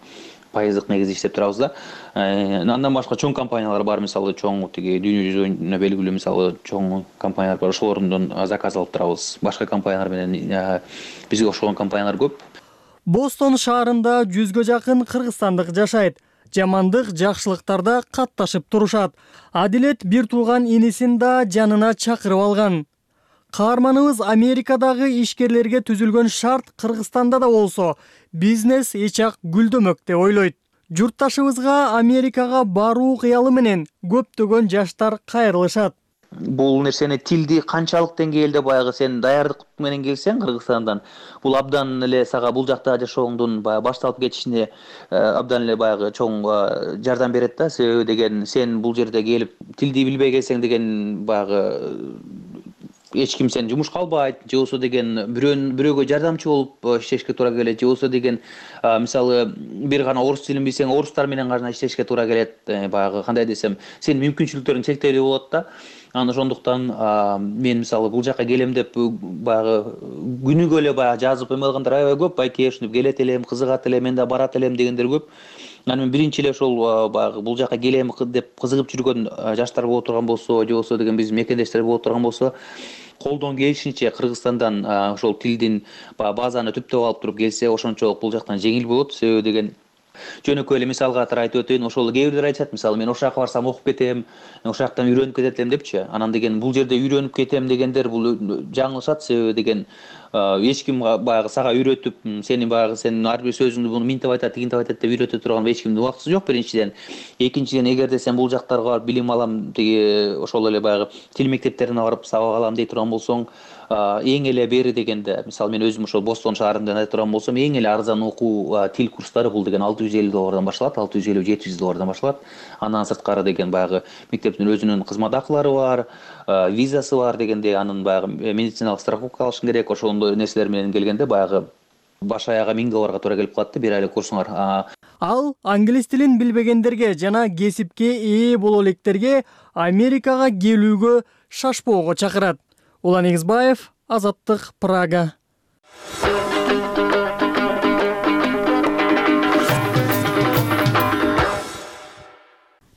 пайыздык негизде иштеп турабыз да. Андан башка чоң компаниялар бар, мисалы чоң тиги дүйнө жүзүнө белгилүү мисалы чоң компаниялар бар. Ошолордон заказ алып турабыз. Башка компаниялар менен бизге окшогон компаниялар көп. Бостон шаарында жүзгө жакын кыргызстандык жашайт. Жамандык, жакшылыктарда катташып турушат. Адилет бир тууган инисин да жанына чакырып алган. Каарманыбыз Америкадагы ишкерлерге түзүлгөн шарт Кыргызстанда да болсо бизнес эч-ак гүлдөмөк деп ойлойт. Журтташыбызга Америкага баруу кыялы менен көптөгөн жаштар кайрылышат. Бул нерсени тилди канчалык деңгээлде баягы сен даярдык менен келсең Кыргызстандан, бул абдан эле сага бул жакта жашооңдун баягы башталып кетишине абдан эле баягы чоң жардам берет да. Себеби деген сен бул жерде келип тилди билбей келсең деген баягы эч ким сени жумушка албайт, же болбосо деген бирөөнүн бирөөгө жардамчы болуп иштешке туура келет, же болбосо деген мисалы бир гана орус тилин билсең, орустар менен гана иштешке туура келет. Баягы кандай десем, сенин мүмкүнчүлүктөрүң чектелүү болот да. Анан ошондуктан мен мисалы бул жака келем деп баягы күнүгө эле баягы жазып эме кылгандар аябай көп. Байке ушинтип келет элем, кызыгат элем, мен да барат элем дегендер көп. Анан мен биринчи эле ошол баягы бул жака келем деп кызыгып жүргөн жаштар боло турган болсо, же болбосо деген биздин мекендештер боло турган болсо, колдон келишинче Кыргызстандан ошол тилдин базаны түптөп алып туруп келсе, ошончолук бул жактан жеңил болот. Себеби деген жөнөкөй эле мисалга катары айтып өтөйүн. Ошол кээ бирлер айтышат, мисалы мен ошол жака барсам окуп кетем, ошол жактан үйрөнүп кетет элем депчи. Анан деген бул жерде үйрөнүп кетем дегендер бул жаңылышат. Себеби деген эч ким баягы сага үйрөтүп, сени баягы сенин ар бир сөзүңдү буну минтип айтат, тигинтип айтат деп үйрөтө турган эч кимдин убактысы жок биринчиден. Экинчиден, эгерде сен бул жактарга барып билим алам, тиги ошол эле баягы тил мектептерине барып сабак алам дей турган болсоң, эң эле бери дегенде, мисалы мен өзүм ошол Бостон шаарында айта турган болсом, эң эле арзан окуу тил курстары бул деген алты жүз элүү доллардан башталат, алты жүз элүү жети жүз доллардан башталат. Андан сырткары деген баягы мектептин өзүнүн кызмат акылары бар, визасы бар дегенде, анын баягы медициналык страховка алышың керек. Ошондой нерселер менен келгенде баягы баш аяга миң долларга туура келип калат да бир айлык курсуңар. Ал англис тилин билбегендерге жана кесипке ээ боло электерге Америкага келүүгө шашпоого чакырат. Улан Эгизбаев, Азаттык, Прага.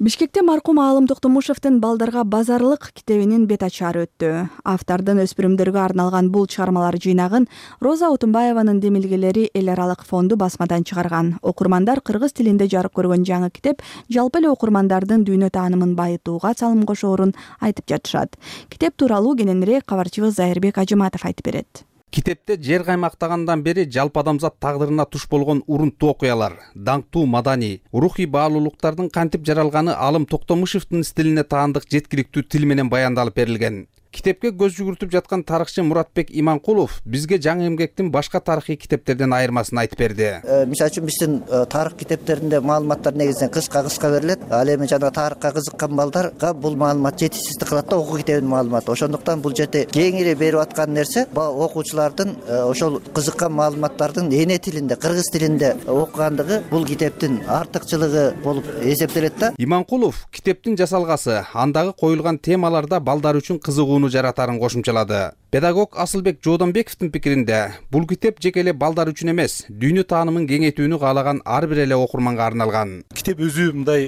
Бишкекте маркум Аалым Токтомушевдин Балдарга базарлык китебинин бет ачары өттү. Автордун өспүрүмдөргө арналган бул чыгармалар жыйнагын Роза Отунбаеванын демилгелери эл аралык фонду басмадан чыгарган. Окурмандар кыргыз тилинде жарык көргөн жаңы китеп жалпы эле окурмандардын дүйнө таанымын байытууга салым кошоорун айтып жатышат. Китеп тууралуу кененирээк кабарчыбыз Зайырбек Ажыматов айтып берет. Китепте жер каймактагандан бери жалпы адамзат тагдырына туш болгон урунттуу окуялар, даңктуу маданий, рухий баалуулуктардын кантип жаралганы Аалым Токтомушевдин стилине таандык жеткиликтүү тил менен баяндалып берилген. Китепке көз жүгүртүп жаткан тарыхчы Муратбек Иманкулов бизге жаңы эмгектин башка тарыхый китептерден айырмасын айтып берди. Мисалы үчүн биздин тарых китептеринде маалыматтар негизинен кыска-кыска берилет. Ал эми жана тарыхка кызыккан балдарга бул маалымат жетишсиздик кылат да, окуу китебинин маалыматы. Ошондуктан бул жерде кеңири берип аткан нерсе окуучулардын ошол кызыккан маалыматтардын эне тилинде, кыргыз тилинде окугандыгы бул китептин артыкчылыгы болуп эсептелет да. Иманкулов китептин жасалгасы, андагы коюлган темаларда балдар үчүн кызыгуу мууну жаратарын кошумчалады. Педагог Асылбек Жоодонбековдун пикиринде, бул китеп жеке эле балдар үчүн эмес, дүйнө таанымын кеңейтүүнү каалаган ар бир эле окурманга арналган. Китеп өзү мындай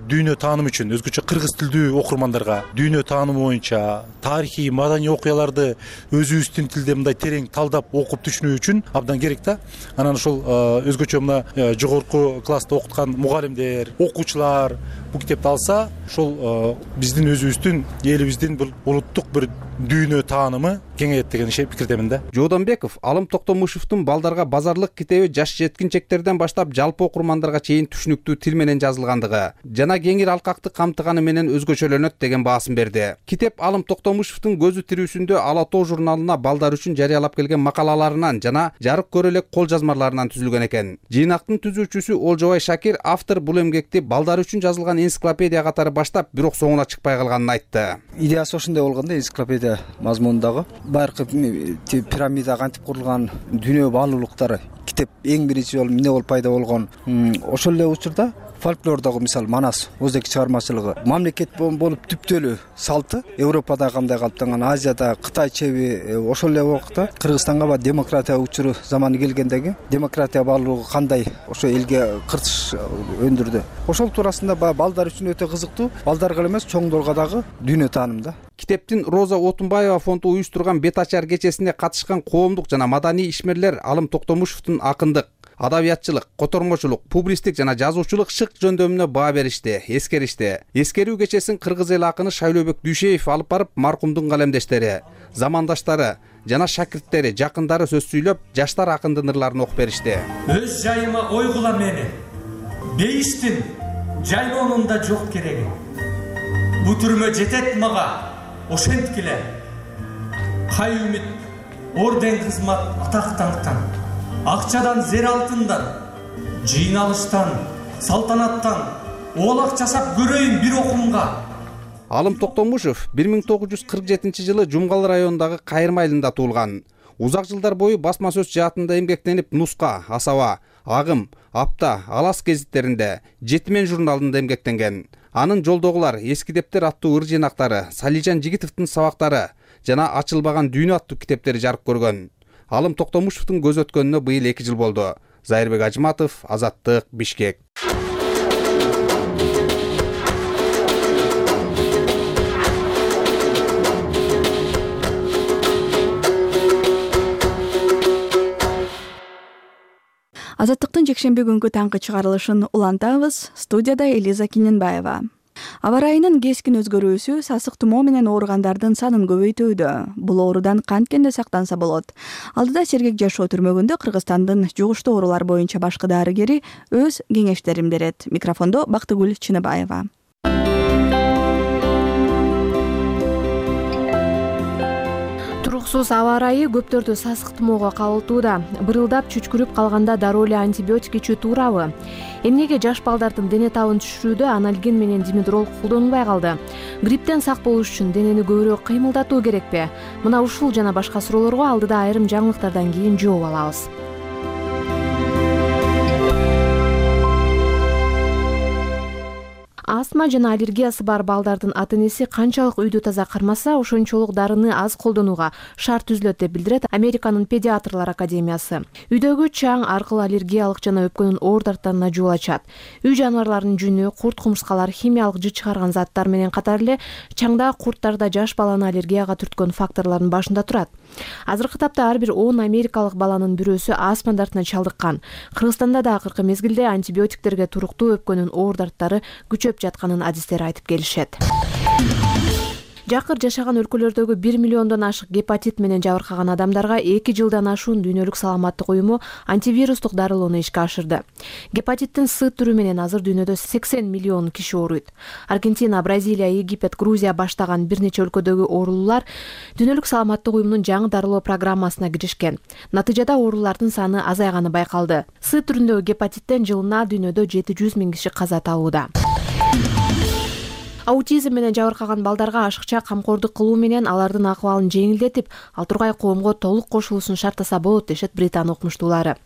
дүйнө таанымы үчүн, өзгөчө кыргыз тилдүү окурмандарга дүйнө таанымы боюнча тарыхый, маданий окуяларды өзүбүздүн тилде мындай терең талдап окуп түшүнүү үчүн абдан керек да. Анан ошол өзгөчө мына жогорку класста окуткан мугалимдер, окуучулар бул китепти алса, ошол биздин өзүбүздүн элибиздин бул улуттук бир дүйнө таанымы кеңейет деген пикирдемин да. Жоодонбеков Алым Токтомушевдун балдарга базарлык китеби жаш жеткинчектерден баштап жалпы окурмандарга чейин түшүнүктүү тил менен жазылгандыгы жана кеңир алкакты камтыганы менен өзгөчөлөнөт деген баасын берди. Китеп Алым Токтомушевдун көзү тирүүсүндө Ала тоо журналына балдар үчүн жарыялап келген макалаларынан жана жарык көрө элек кол жазмаларынан түзүлгөн экен. Жыйнактын түзүүчүсү Олжобай Шакир автор бул эмгекти балдар үчүн жазылган энциклопедия катары баштап, бирок соңуна чыкпай калганын айтты. Идеясы ошондой болгон да, энциклопедия мазмунундагы байыркы пирамида кантип курулган, дүйнө баалуулуктары китеп эң биринчи жолу эмне болуп пайда болгон. Ошол эле учурда фольклордогу мисалы Манас Оздеки чыгармачылыгы мамлекет болуп түптөлүү салты Европада кандай калыптанган, Азияда, Кытай чеби ошол эле убакта Кыргызстанга ба демократия учуру заманы келгендеги демократия баалуулугу кандай ошо элге кыртыш өндүрдү. Ошол туурасында балдар үчүн өтө кызыктуу, балдарга эле эмес чоңдорго дагы дүйнө таанымы да. Китептин Роза Отунбаева фонду уюштурган бет ачар кечесине катышкан коомдук жана маданий ишмерлер Алым Токтомушевдун акындык, адабиятчылык, котормочулук, публистик жана жазуучулук шык жөндөмүнө баа беришти, эскеришти. Эскерүү кечесин кыргыз эл акыны Шайлообек Дүйшеев алып барып, маркумдун калемдештери, замандаштары жана шакирттери, жакындары сөз сүйлөп, жаштар акындын ырларын окуп беришти. Өз жайыма ойгула мени. Бейиштин жайлоонунда жок кереги. Бу түрмө жетет мага, ошенткиле. Кай үмүт, орден кызмат, атак даңктан, акчадан, зер алтындан, жыйналыштан, салтанаттан оолак жасап көрөйүн бир окумга. Алым Токтомушев бир миң тогуз жүз кырк жетинчи жылы Жумгал районундагы Кайырма айылында туулган. Узак жылдар бою басма сөз жаатында эмгектенип, Нуска, Асаба, Агым, Апта, Алас гезиттеринде, Жетимен журналында эмгектенген. Анын Жолдогулар, Эски дептер аттуу ыр жыйнактары, Салижан Жигитовдун сабактары жана Ачылбаган дүйнө аттуу китептери жарык көргөн. Алым Токтомушевдун көз өткөнүнө быйыл эки жыл болду. Зайырбек Ажыматов, Азаттык, Бишкек. Азаттыктын жекшемби күнгү таңкы чыгарылышын улантабыз. Студияда Элиза Киненбаева. Аба ырайынын кескин өзгөрүүсү сасык тумоо менен ооругандардын санын көбөйтүүдө. Бул оорудан канткенде сактанса болот. Алдыда Сергек жашоо түрмөгүндө Кыргызстандын жугуштуу оорулар боюнча башкы дарыгери өз кеңештерин берет. Микрофондо Бактыгүл Чыныбаева. Туруксуз аба ырайы көптөрдү сасык тумоого кабылтууда. Бырылдап чүчкүрүп калганда дароо эле антибиотик ичүү туурабы? Эмнеге жаш балдардын дене табын түшүрүүдө анальгин менен димедрол колдонулбай калды? Грипптен сак болуш үчүн денени көбүрөөк кыймылдатуу керекпи? Мына ушул жана башка суроолорго алдыда айрым жаңылыктардан кийин жооп алабыз. Астма жана аллергиясы бар балдардын ата-энеси канчалык үйдү таза кармаса, ошончолук дарыны аз колдонууга шарт түзүлөт деп билдирет Американын педиатрлар академиясы. Үйдөгү чаң аркылуу аллергиялык жана өпкөнүн оор дарттарына жол ачат. Үй жаныбарларынын жүнү, курт кумурскалар химиялык жыт чыгарган заттар менен катар эле чаңда курттарда жаш баланы аллергияга түрткөн факторлордун башында турат. Азыркы тапта ар бир он америкалык баланын бирөөсү астма дартына чалдыккан. Кыргызстанда да акыркы мезгилде антибиотиктерге туруктуу өпкөнүн оор дарттары күчөп жатканын адистер айтып келишет. Жакыр жашаган өлкөлөрдөгү бир миллиондон ашык гепатит менен жабыркаган адамдарга эки жылдан ашуун Дүйнөлүк саламаттык уюму антивирустук дарылоону ишке ашырды. Гепатиттин С түрү менен азыр дүйнөдө сексен миллион киши ооруйт. Аргентина, Бразилия, Египет, Грузия баштаган бир нече өлкөдөгү оорулуулар Дүйнөлүк саламаттык уюмунун жаңы дарылоо программасына киришкен. Натыйжада оорулардын саны азайганы байкалды. С түрүндөгү гепатиттен жылына дүйнөдө жети жүз миң киши каза табууда. аутизм менен жабыркаган балдарга ашыкча камкордук кылуу менен алардын акыбалын жеңилдетип, ал тургай коомго толук кошулуусун шарттаса болот дешет Британ окумуштуулары.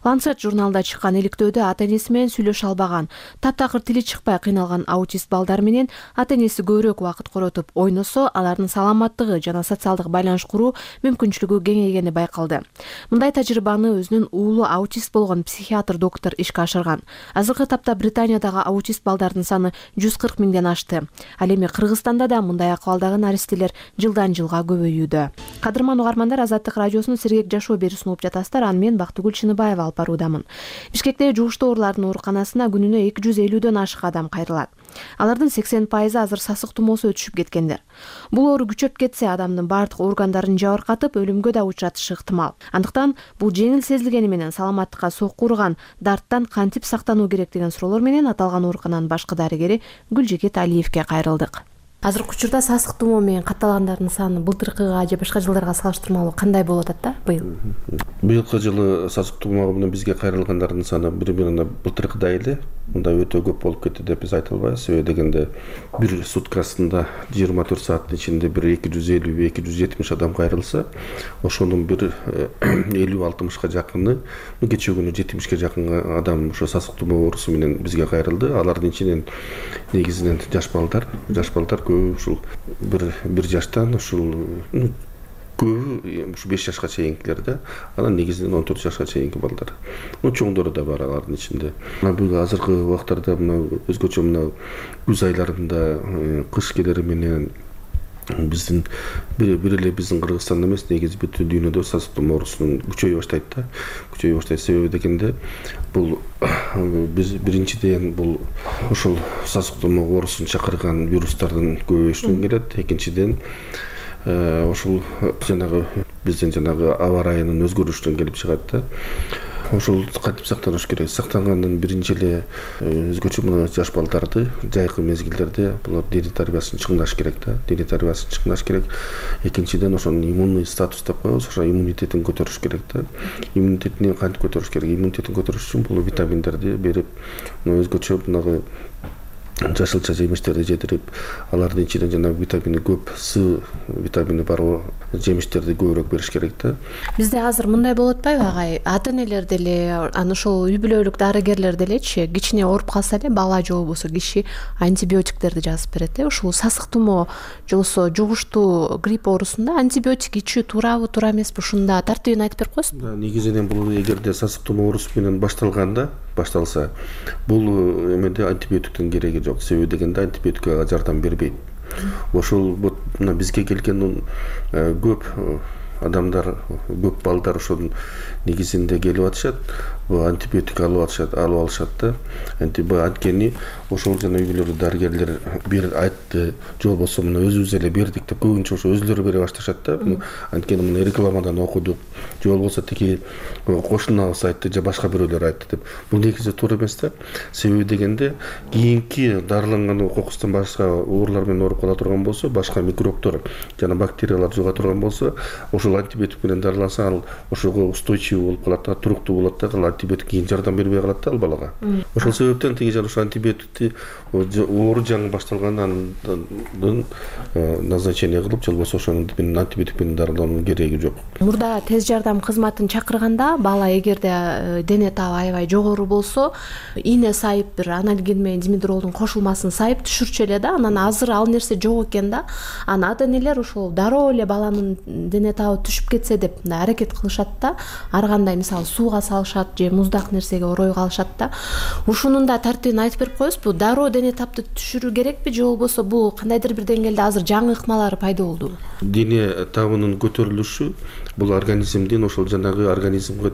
Lancet журналында чыккан иликтөөдө ата-энеси менен сүйлөшө албаган, таптакыр тили чыкпай кыйналган аутист балдар менен ата-энеси көбүрөөк убакыт коротуп ойносо, алардын саламаттыгы жана социалдык байланыш куруу мүмкүнчүлүгү кеңейгени байкалды. Мындай тажрыйбаны өзүнүн уулу аутист болгон психиатр доктор ишке ашырган. Азыркы тапта Британиядагы аутист балдардын саны жүз кырк миңден ашты. Ал эми Кыргызстанда да мындай акыбалдагы наристелер жылдан жылга көбөйүүдө. Кадырман угармандар, Азаттык радиосунун сергек жашоо берүүсүн угуп жатасыздар. Аны мен Бактыгүл Чыныбаева алып баруудамын. Бишкектеги жугуштуу оорулардын ооруканасына күнүнө эки жүз элүүдөн ашык адам кайрылат. Алардын сексен пайызы азыр сасык тумоосу өтүшүп кеткендер. Бул оору күчөп кетсе, адамдын бардык органдарын жабыркатып, өлүмгө да учуратышы ыктымал. Андыктан бул жеңил сезилгени менен саламаттыкка сокку урган дарттан кантип сактануу керек деген суроолор менен аталган оорукананын башкы дарыгери Гүлжекет Алиевке кайрылдык. Азыркы учурда сасык тумоо менен катталгандардын саны былтыркыга же башка жылдарга салыштырмалуу кандай болуп атат да быйыл? Быйылкы жылы сасык тумоо менен бизге кайрылгандардын саны бири-бирине былтыркыдай эле, мында өтө көп болуп кетти деп биз айта албайбыз. Себеби дегенде бир суткасында жыйырма төрт сааттын ичинде бир эки жүз элүү эки жүз жетимиш адам кайрылса, ошонун бир элүү алтымышка жакыны, кечээ күнү жетимишке жакын адам ошо сасык тумоо оорусу менен бизге кайрылды. Алардын ичинен негизинен жаш балдар, жаш балдар ушул бир бир жаштан ушул көбү ушу беш жашка чейинкилер да, анан негизинен он төрт жашка чейинки балдар. Ну чоңдору да бар алардын ичинде. Мына бул азыркы убактарда мына өзгөчө мына күз айларында кыш келери менен биздин бир бир эле биздин Кыргызстанда эмес, негизи бүт дүйнөдө сасык тумоо оорусунун күчөйө баштайт да. Күчөйө баштайт. Себеби дегенде бул биз биринчиден бул ушул сасык тумоо оорусун чакырган вирустардын көбөйүшүнөн келет. Экинчиден ушул жанагы биздин жанагы аба ырайынын өзгөрүшүнөн келип чыгат да. Ошол кантип сактаныш керек? Сактангандан биринчи эле өзгөчө мына жаш балдарды жайкы мезгилдерде булар дене тарбиясын чыңдаш керек да. Дене тарбиясын чыңдаш керек. Экинчиден ошонун иммунный статус деп коебуз, ошо иммунитетин көтөрүш керек да. Иммунитетин кантип көтөрүш керек? Иммунитетин көтөрүш үчүн бул витаминдерди берип, өзгөчө мынагы жашылча жемиштерди жетирип, алардын ичинен жана витамини көп, С витамини бар жемиштерди көбүрөөк бериш керек да. Бизде азыр мындай болуп атпайбы агай? Ата-энелер деле, аны ошол үй бүлөлүк дарыгерлер делечи, кичине ооруп калса эле бала же болбосо киши антибиотиктерди жазып берет э. Ушул сасык тумоо же болбосо жугуштуу грипп оорусунда антибиотик ичүү туурабы, туура эмеспи? Ушунда тартибин айтып берип коесузбу? Негизинен бул эгерде сасык тумоо оорусу менен башталганда, башталса, бул эмеде антибиотиктин кереги жок. Себеби дегенде антибиотикка жардам бербейт. Ошол мына бизге келген көп адамдар, көп балдар ошонун негизинде келип атышат, антибиотик алып атышат, алып алышат да. Анткени ошол жана үй бүлөлүк дарыгерлер бир айтты, же болбосо мына өзүбүз эле бердик деп көбүнчө ошо өзүлөрү бере башташат да. Анткени мына рекламадан окудук, же болбосо тиги кошунабыз айтты, же башка бирөөлөр айтты деп. Бул негизи туура эмес да. Себеби дегенде кийинки дарыланган кокустан башка оорулар менен ооруп кала турган болсо, башка микробтор жана бактериялар жуга турган болсо, ошол антибиотик менен дарыланса, ал ошого устойчивый болуп калат да, туруктуу болот да, ал антибиотик кийин жардам бербей калат да ал балага. Ошол себептен тиги жана ошо антибиотикти оору жаңы башталгандан назначение кылып, же болбосо ошонун антибиотик менен дарылоонун кереги жок. Мурда тез жардам кызматын чакырганда бала эгерде дене табы аябай жогору болсо, ийне сайып бир анальгин менен димедролдун кошулмасын сайып түшүрчү эле да. Анан азыр ал нерсе жок экен да. Анан ата-энелер ошол дароо эле баланын дене табы түшүп кетсе деп аракет кылышат да. Ар кандай мисалы сууга салышат же муздак нерсеге орой калышат да. Ушунун да тартибин айтып берип коесузбу? Дароо дене табды түшүрүү керекпи же болбосо бул кандайдыр бир деңгээлде азыр жаңы ыкмалары пайда болдубу? Дене табынын көтөрүлүшү бул организмдин ошол жанагы организмге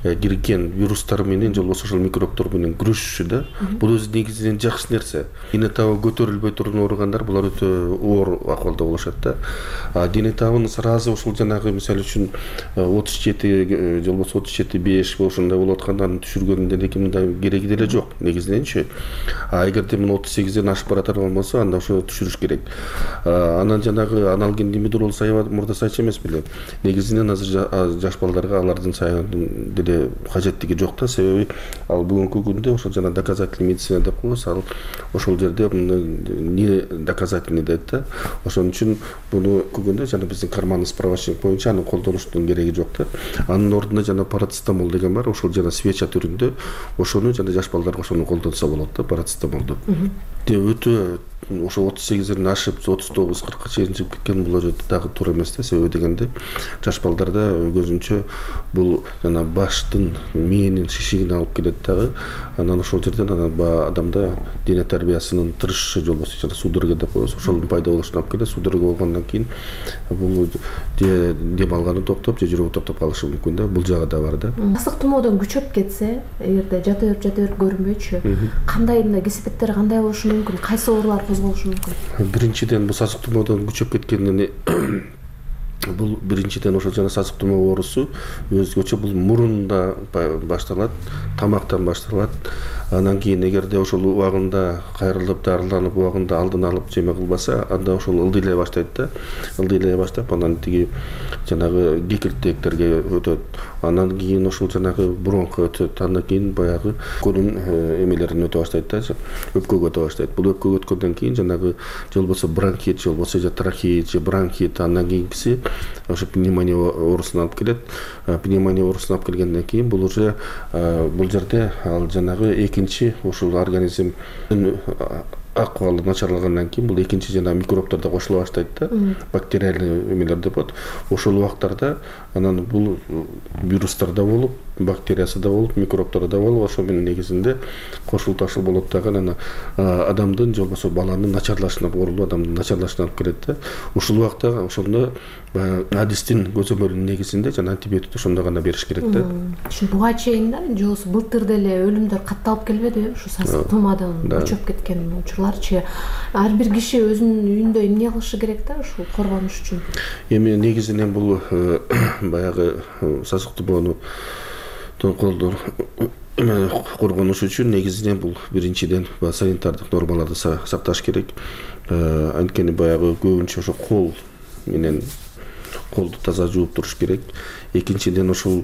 кирген вирустар менен же болбосо ошол микробтор менен күрөшүшү да. Бул өзү негизинен жакшы нерсе. Дене табы көтөрүлбөй турган ооругандар булар өтө оор акыбалда болушат да. А дене табын сразу ошол жанагы жанагы мисалы үчүн отуз жети же болбосо отуз жети беш ошондой болуп атканда аны түшүргөндүн деги мындай кереги деле жок негизиненчи. А эгерде мына отуз сегизден ашып баратат болсо анда ошо түшүрүш керек. Анан жанагы аналген димедрол саябат мурда сайчу эмес беле. Негизинен азыр жаш балдарга алардын саябын деле кажеттиги жок да, себеби ал бүгүнкү күндө ошол жана доказательный медицина деп коебуз, ал ошол жерде не доказательный дейт да. Ошон үчүн буну күндө жана биздин карманный справочник боюнча аны колдонуштун кереги жок да. Анын ордуна жана парацетамол деген бар, ошол жана свеча түрүндө, ошону жана жаш балдарга ошону колдонсо болот да, парацетамолду. Өтө ошо отуз сегизден ашып отуз тогуз кыркка чейин чыгып кеткен бул өтө дагы туура эмес да, себеби дегенде жаш балдарда көзүнчө бул жана баштын мээнин шишигин алып келет дагы. Анан ошол жерден анан баягы адамда дене тарбиясынын тырышышы же болбосо жана судорога деп коебуз, ошонун пайда болушуна алып келет. Судорога болгондон кийин бул дем алганы токтоп же жүрөгү токтоп калышы мүмкүн да, бул жагы да бар да. Ысык тумоодон күчөп кетсе, эгерде жата берип жата берип көрүнбөйчү, кандай мындай кесепеттер кандай болушу мүмкүн, кайсы оорулар козголушу мүмкүн? Биринчиден бул сасык тумоодон күчөп кеткенден бул биринчиден ошол жана сасык тумоо оорусу өзгөчө бул мурунда башталат, тамактан башталат. Анан кийин эгерде ошол убагында кайрылып дарыланып убагында алдын алып жеме кылбаса, анда ошол ылдыйлай баштайт да. Ылдыйлай баштап анан тиги жанагы кекиртектерге өтөт. Анан кийин ошол жанагы бронхко өтөт. Андан кийин баягы өпкөнүн эмелерин өтө баштайт да, өпкөгө өтө баштайт. Бул өпкөгө өткөндөн кийин жанагы же болбосо бронхит, же болбосо же трахеит, же бронхит, андан кийинкиси ошо пневмония оорусуна алып келет. Пневмония оорусуна алып келгенден кийин бул уже бул жерде ал жанагы экинчи ошол организм акыбалы начарлагандан кийин бул экинчи жана микробдор да кошула баштайт да, бактериальный эмелер деп коет. Ошол убактарда анан бул вирустар да болуп, бактериясы да болуп, микробдор да болуп, ошо менен негизинде кошул ташыл болот дагы анан адамдын же болбосо баланын начарлашына, оорулуу адамдын начарлашына алып келет да. Ушул убакта ошондо адистин көзөмөлүнүн негизинде жана антибиотикти ошондо гана бериш керек да. Буга чейин да, же болбосо былтыр деле өлүмдөр катталып келбедиби ушу сасык тумоодон күчөп кеткен учурларчы? Ар бир киши өзүнүн үйүндө эмне кылышы керек да ушул коргонуш үчүн? Эми негизинен бул баягы сасык тумоону коргонуш үчүн негизинен бул биринчиден санитардык нормаларды сакташ керек. Анткени баягы көбүнчө ошо кол менен колду таза жууп туруш керек. Экинчиден ошол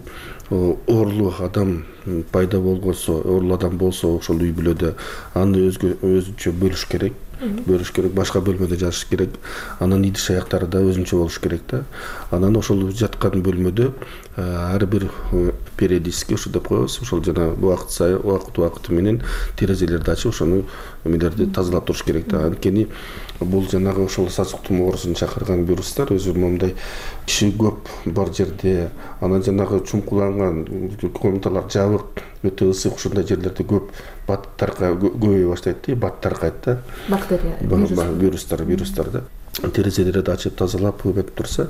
оорулуу адам пайда болгонсо, оорулуу адам болсо ошол үй бүлөдө аны өзүнчө бөлүш керек. Бөлүш керек, башка бөлмөдө жатыш керек. Анан идиш аяктары да өзүнчө болуш керек да. Анан ошол жаткан бөлмөдө ар бир периодически ошо деп коебуз, ошол жана убакыт сайын убакыт убакыты менен терезелерди ачып ошону эмелерди тазалап туруш керек да. Анткени бул жанагы ошол сасык тумоо оорусун чакырган вирустар өзү моундай киши көп бар жерде, анан жанагы чуңкуланган комнаталар жабык, өтө ысык ошондой жерлерде көп баттарга көбөйө баштайт да, бат таркайт да. Бактерия, вирустар, вирустар да. Терезелерди ачып тазалап көбөйтүп турса,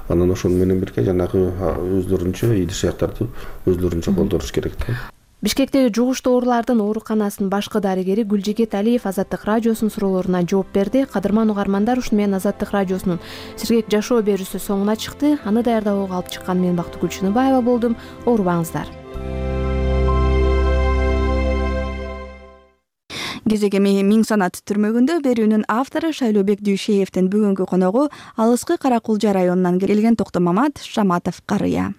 анан ошону менен бирге жанагы өздөрүнчө идиш аяктарды өзлөрүнчө колдонуш керек да. Бишкектеги жугуштуу оорулардын ооруканасынын башкы дарыгери Гүлжигит Алиев Азаттык радиосунун суроолоруна жооп берди. Кадырман угармандар, ушуну менен Азаттык радиосунун сергек жашоо берүүсү соңуна чыкты. Аны даярдоого алып чыккан мен Бактыгүл Чыныбаева болдум. Оорубаңыздар. Кезегеми Миң санат түрмөгүндө берүүнүн автору Шайлообек Дүйшеевдин бүгүнкү коногу Алыскы Каракулжа районунан келген Токтомамат Шаматов карыя.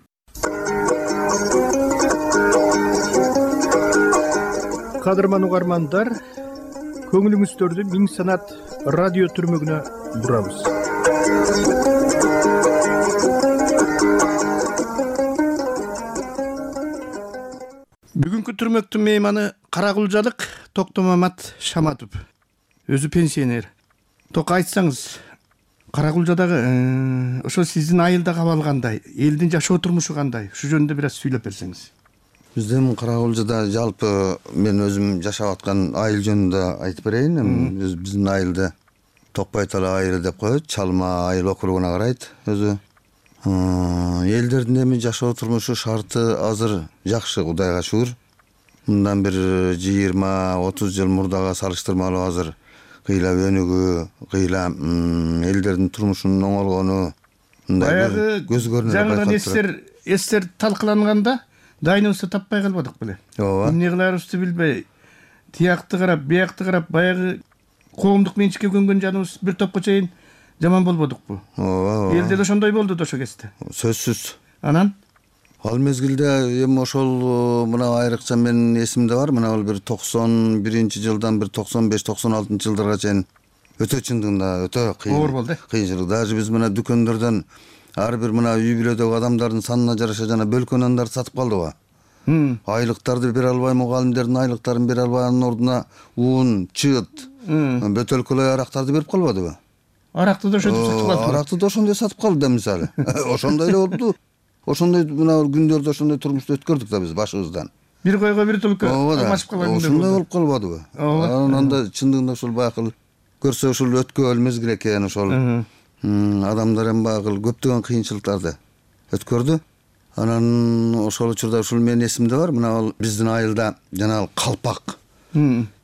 Кадырман угармандар, көңүлүңүздөрдү Миң санат радио түрмөгүнө бурабыз. Бүгүнкү түрмөктүн мейманы Каракулжалык Токтомамат Шаматов. Өзү пенсионер. Тока айтсаңыз, Каракулжадагы ошо сиздин айылда кабыл кандай, элдин жашоо турмушу кандай? Ушу жөнүндө бир аз сүйлөп берсеңиз. Биздин Каракулжада жалпы мен өзүм жашап аткан айыл жөнүндө айтып берейин. Биздин айылды Токпай Тала айылы деп коет, Чалма айыл округуна карайт өзү. Элдердин эми жашоо турмушу шарты азыр жакшы, Кудайга шүгүр. Мындан бир жыйырма отуз жыл мурдага салыштырмалуу азыр кыйла өнүгүү, кыйла элдердин турмушунун оңолгону мындай көз көрүнөр жаңыдан эстер эстер талкаланганда дайныбызды таппай калбадык беле. ооба эмне кыларыбызды билбей тиякты карап биякты карап баягы коомдук менчикке көнгөн жаныбыз бир топко чейин жаман болбодукпу? ооба Элде да ошондой болду да ошо кезде. сөзсүз. Анан ал мезгилде эми ошол мына айрыкча менин эсимде бар, мына бул бир токсон биринчи жылдан бир токсон беш токсон алтынчы жылдарга чейин өтө чындыгында өтө кыйын оор болду. Кыйынчылык. Даже биз мына дүкөндөрдөн ар бир мына үй бүлөдөгү адамдардын санына жараша жана бөлкө нандарды сатып калдыбы? Айлыктарды бере албай, мугалимдердин айлыктарын бере албайнын ордуна уун, чыт, бөтөлкөлөй арактарды берип калбадыбы? Аракты да ошентип сатып калды. Аракты да ошондой сатып калды да мисалы. Ошондой эле болду. Ошондой мына күндөрдө ошондой турмушту өткөрдүк да биз башыбыздан. Бир койго бир түлкү алмашып калган күндөр. Ошондой болуп калбадыбы? Анан да чындыгында ушул баягы көрсө ушул өткөн мезгил экен, ошол адамдар эми баягы көптөгөн кыйынчылыктарды өткөрдү. Анан ошол учурда ушул менин эсимде бар, мына биздин айылда жанагы калпак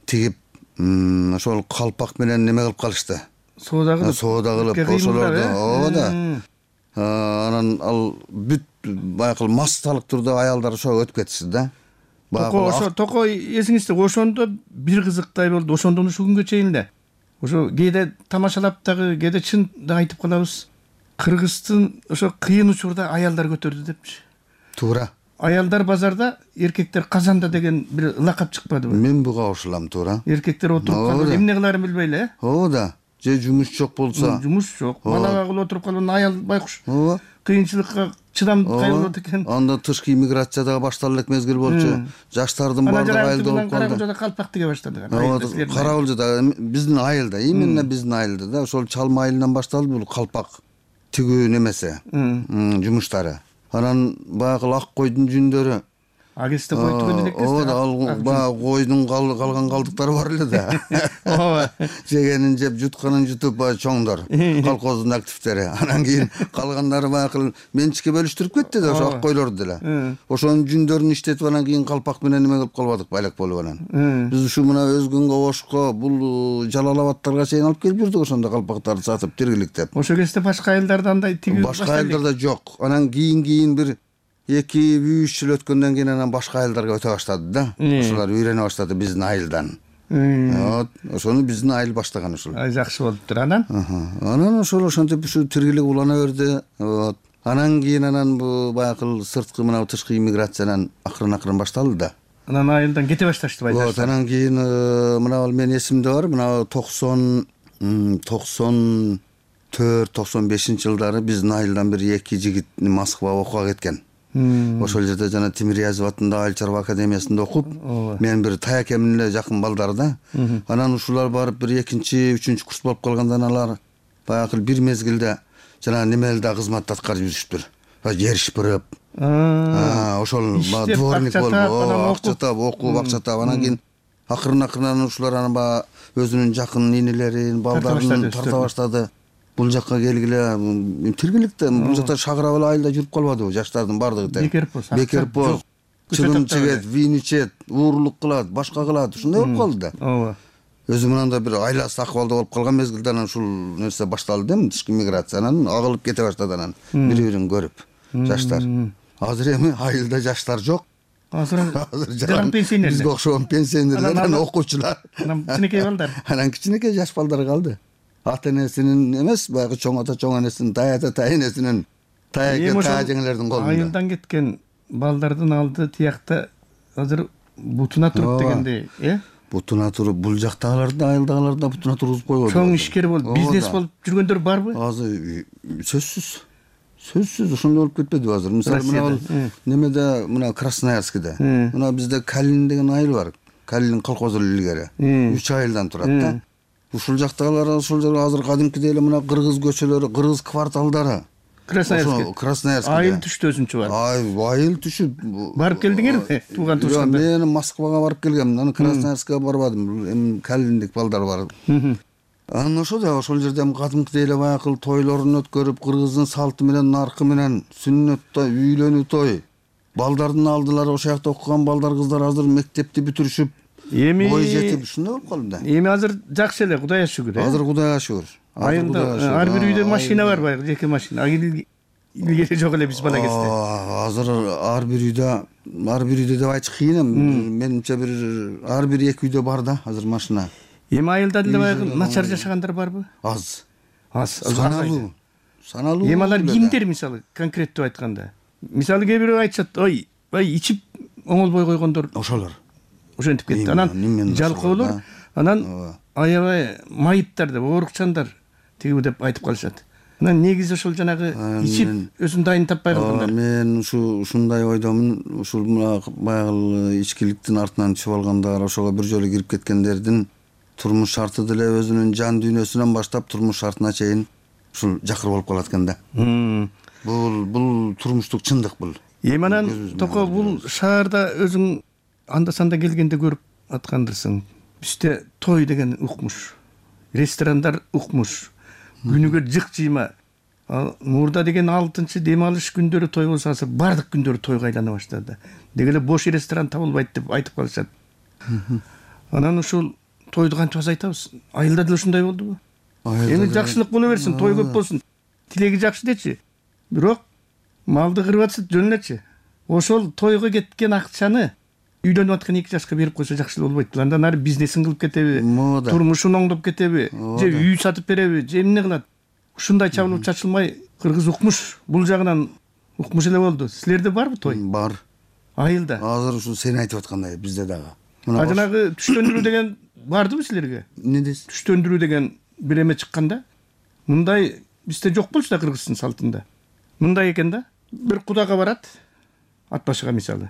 тигип, ошол калпак менен неме кылып калышты. Соода кылып. Соода кылып ошолорду. Ооба да. Анан ал бүт баягы массалык түрдө аялдар ошого өтүп кетишти да. Токо ошо токо эсиңизде ошондо бир кызыктай болду. Ошондон ушул күнгө чейин эле. Ошо кээде тамашалап дагы, кээде чын да айтып калабыз. Кыргыздын ошо кыйын учурда аялдар көтөрдү депчи. Туура. Аялдар базарда, эркектер казанда деген бир лакап чыкпадыбы? Мен буга кошулам, туура. Эркектер отуруп калып, эмне кыларын билбей эле. Ооба да. Же жумуш жок болсо. Жумуш жок. Балага кылып отуруп калган аял байкуш. Ооба. Кыйынчылыкка чыдамдуу болот экен. Анда тышкы иммиграция дагы башталып элек мезгил болчу. Жаштардын баардыгы айылда болуп калды. Каракулжада калпак тиге баштады. Каракулжада биздин айылда, именно биздин айылда да ошол чалма айылынан башталды бул калпак тигүү немеси, жумуштары. Анан баягы ак койдун жүндөрү. А кезде кой түгөн элек кезде. Ооба, ал баягы койдун калган калдыктары бар эле да. Ооба. Жегенин жеп, жутканын жутуп баягы чоңдор, колхоздун активдери. Анан кийин калгандары баягы менчикке бөлүштүрүп кетти да ошо ак койлорду деле. Ошонун жүндөрүн иштетип анан кийин калпак менен неме кылып калбадык, байлак болуп анан. Биз ушу мына Өзгөнгө, Ошко, бул Жалал Абадтарга чейин алып келип жүрдүк ошондо калпактарды сатып тиргиликтеп. Ошол кезде башка айылдарда андай тигүү башка айылдарда жок. Анан кийин кийин бир эки үч жыл өткөндөн кийин анан башка айылдарга өтө баштады да. Ошолар үйрөнө баштады биздин айылдан. Вот, ошону биздин айыл баштаган ушул. Ай жакшы болуптур анан. Анан ошол ошентип ушу тиргилик улана берди. Вот. Анан кийин анан бу баягы сырткы мына тышкы иммиграциянан акырын-акырын башталды да. Анан айылдан кете башташты байлар. Вот, анан кийин мына менин эсимде бар, мына токсон токсон төрт токсон бешинчи жылдары биздин айылдан бир эки жигит Москвага окууга кеткен. Ошол жерде жана Тимирязев атындагы Айыл чарба академиясында окуп, мен бир таякемдин эле жакын балдары да. Анан ушулар барып бир экинчи, үчүнчү курс болуп калгандан алар баягы бир мезгилде жана немелде кызматты аткарып жүрүштүр. Жер шыпырып, ошол дворник болуп, акча таап, окуп, акча таап, анан кийин акырын-акырын ушулар анан баягы өзүнүн жакын инелерин, балдарын тарта баштады. Бул жакка келгиле тиргиликте, бул жакта шагырап эле айылда жүрүп калбадыбы жаштардын баардыгы тең. Бекерпоз. Бекерпоз. Чыгым чегет, вин ичет, уурлук кылат, башка кылат, ушундай болуп калды да. Ооба. Өзү мындай бир айласыз акыбалда болуп калган мезгилде анан ушул нерсе башталды да, тышкы миграция, анан агылып кете баштады анан бири-бирин көрүп жаштар. Азыр эми айылда жаштар жок. Азыр жаран пенсионерлер. Бизге окшогон пенсионерлер, анан окуучулар. Анан кичинекей балдар. Анан кичинекей жаш балдар калды. Ата энесинин эмес, баягы чоң ата чоң энесинин, тай ата тай энесинин, таяке таа жеңелердин колунда. Айылдан кеткен балдардын алды тиякта азыр бутуна туруп дегендей, э? Бутуна туруп, бул жактагылар да, айылдагылар да бутуна тургузуп койбоду. Чоң ишкер болуп, бизнес болуп жүргөндөр барбы? Азыр сөзсүз. Сөзсүз ошондой болуп кетпедиби азыр? Мисалы мына немеде, мына Красноярскиде, мына бизде Калин деген айыл бар. Калин колхозу илгери. үч айылдан турат да. Ушул жактагылар ошол жерге азыр кадимкидей эле мына кыргыз көчөлөрү, кыргыз кварталдары. Красноярский. Красноярский. Айыл түштү өзүнчө бар. Айыл түшүп. Барып келдиңерби? Тууган туушканда. Мен Москвага барып келгем, анан Красноярскига барбадым. Эми Калиндик балдар бар. Анан ошо да ошол жерде кадимкидей эле баягы тойлорун өткөрүп, кыргыздын салты менен, наркы менен сүннөт той, үйлөнүү той. Балдардын алдылары ошол жакта окуган балдар, кыздар азыр мектепти бүтүрүшүп, эми ой жетип ушундай болуп калды да. Эми азыр жакшы эле, Кудайга шүгүр. Азыр Кудайга шүгүр. Айылда ар бир үйдө машина бар, баягы жеке машина. илгери жок эле биз бала кезде? Азыр ар бир үйдө ар бир үйдө деп айтыш кыйын эми. Менимче бир ар бир эки үйдө бар да азыр машина. Эми айылда деле баягы начар жашагандар барбы? Аз. Аз. Саналуу. Саналуу. Эми алар кимдер мисалы конкреттүү айтканда? Мисалы кээ бирөө айтышат, ой, бай ичип оңолбой койгондор. Ошолор. Ошентип кетти. Анан жалкоолор, анан аябай майыптар деп, оорукчандар тиги деп айтып калышат. Анан негизи ошол жанагы ичип өзүн дайын таппай калгандар. Мен ушу ушундай ойдомун. Ушул баягы ичкиликтин артынан чыгып алгандар, ошого бир жолу кирип кеткендердин турмуш шарты деле өзүнүн жан дүйнөсүнөн баштап турмуш шартына чейин ушул жакыр болуп калат экен да. Бул бул турмуштук чындык бул. Эми анан токо бул шаарда өзүң анда санда келгенде көрүп аткандырсың. Бизде той деген укмуш, ресторандар укмуш, күнүгө жык жыйма. Ал мурда деген алтынчы дем алыш күндөрү той болсо азыр бардык күндөрү тойго айлана баштады. Деги эле бош ресторан табылбайт деп айтып калышат. Анан ушул тойду кантип азайтабыз? Айылда деле ушундай болдубу? Эми жакшылык боло берсин, той көп болсун. Тилеги жакшы дечи. Бирок малды кырып атса жөн элечи. Ошол тойго кеткен акчаны үйлөнүп аткан эки жашка берип койсо жакшы болбойт. Андан ары бизнесин кылып кетеби, турмушун оңдоп кетеби, же үй сатып береби, же эмне кылат? Ушундай чабылып чачылмай кыргыз укмуш. Бул жагынан укмуш эле болду. Силерде барбы той? Бар. Айылда. Азыр ушу сен айтып аткандай бизде дагы. А жанагы түштөндүрүү деген бардыбы силерге? Эмне дейсиз? Түштөндүрүү деген бир эме чыкканда, мындай бизде жок болчу да кыргыздын салтында. Мындай экен да. Бир кудага барат, ат башыга мисалы.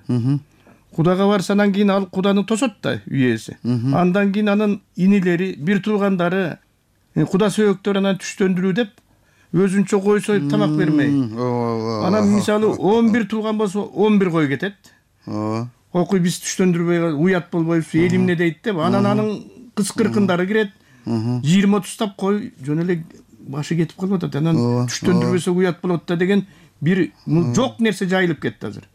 Кудага барса анан кийин ал куданы тосот да үй ээси. Андан кийин анын инилери, бир туугандары, куда сөөктөр анан түштөндүрүү деп өзүнчө кой союп тамак бермей. Анан мисалы он бир тууган болсо он бир кой кетет. Окуй биз түштөндүрбөй уят болбойбуз, эл эмне дейт деп анан анын кыз-кыркындары кирет. жыйырма отуз тап кой жөн эле башы кетип калып атат. Анан түштөндүрбөсө уят болот да деген бир жок нерсе жайылып кетти азыр.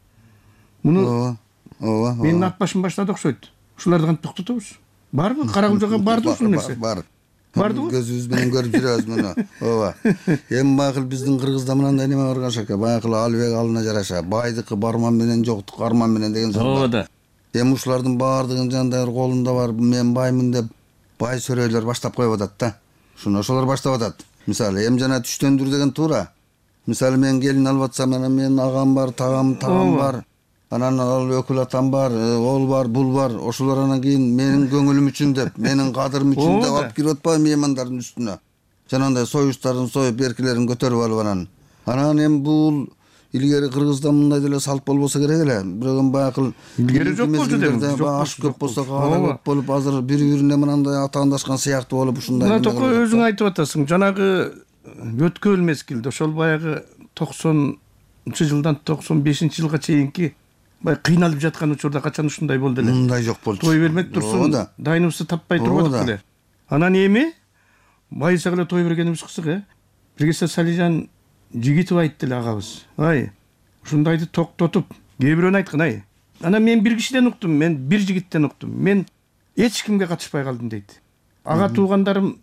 Муну ооба. Менин ат башым баштады окшойт. Ушуларды кантип токтотобуз? Барбы? Карагулжага барды ушул нерсе? Бар. Бардыбы? Көзүбүз менен көрүп жүрөбүз муну. Ооба. Эми байкыл биздин Кыргызда мындай неме бар кашака. Байкыл албек алына жараша. Байдыкы барман менен, жоктук арман менен деген сөз бар. Ооба да. Эми ушулардын баардыгын жандай колунда бар, мен баймын деп бай сөрөйлөр баштап коюп атат да. Шуну ошолор баштап атат. Мисалы, эми жана түштөндүр деген туура. Мисалы, мен келин алып атсам, анан менин агам бар, тагам, тагам бар. Анан ал өкүл атам бар, ол бар, бул бар. Ошолор анан кийин менин көңүлүм үчүн деп, менин кадырым үчүн деп алып кирип атпайбы меймандардын үстүнө. Жанагындай союштарын союп, беркилерин көтөрүп алып анан. Анан эми бул илгери Кыргызда мындай деле салт болбосо керек эле. Бирок эми баягы илгери жок болчу деп. Аш көп болсо кара көп болуп, азыр бири-бирине мындай атаандашкан сыяктуу болуп ушундай. Мына токо өзүң айтып атасың. Жанагы өткөл мезгилде ошол баягы токсонунчу жылдан токсон бешинчи жылга чейинки бай кыйналып жаткан учурда качан ушундай болду эле. Мындай жок болчу. Той бермек турсун, дайныбызды таппай турбадык беле. Анан эми байысак эле той бергенибиз кызык, э? Биргесе Салижан Жигитов айтты эле агабыз. Ай, ушундайды токтотуп, кээ бирөөнү айткан, ай. Анан мен бир кишиден уктум, мен бир жигиттен уктум. Мен эч кимге катышпай калдым дейт. Ага туугандарым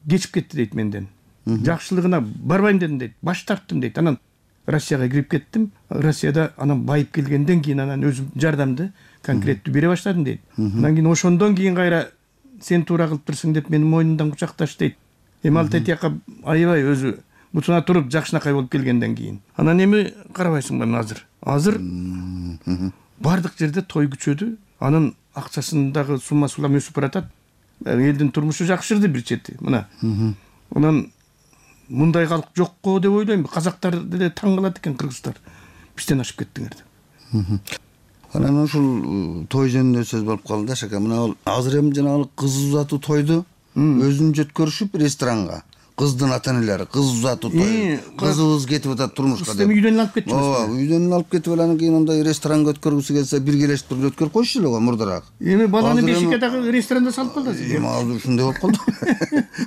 кечип кетти дейт менден. Жакшылыгына барбайм дедим дейт. Баш тарттым дейт. Анан Россияга кирип кеттим. Россияда анан байып келгенден кийин анан өзүм жардамды конкреттүү бере баштадым дейт. Анан кийин ошондон кийин кайра сен туура кылыптырсың деп мени мойнундан кучакташ дейт. Эми ал тетияка аябай өзү бутуна туруп жакшынакай болуп келгенден кийин. Анан эми карабайсыңбы азыр? Азыр бардык жерде той күчөдү. Анын акчасындагы сумма сулам өсүп баратат. Элдин турмушу жакшырды бир чети. Мына. Анан мындай калк жокко деп ойлойм. Казактар деле таң калат экен кыргыздар. Бизден ашып кеттиңер деп. Анан ушул той жөнүндө сөз болуп калды шака. Мына азыр эми жанагы кыз узатуу тойду өзүн жөткөрүшүп ресторанга. Кыздын ата-энелери кыз узатуу той. Кызыбыз кетип атат турмушка деп. Сиз үйдөн алып кетчүсүз. Ооба, үйдөн алып кетип анан кийин андай ресторанга өткөргүсү келсе биргелешип туруп өткөрүп койчу эле го мурдараак. Эми баланы бешикке дагы ресторанда салып калдыңыз. Эми азыр ушундай болуп калды.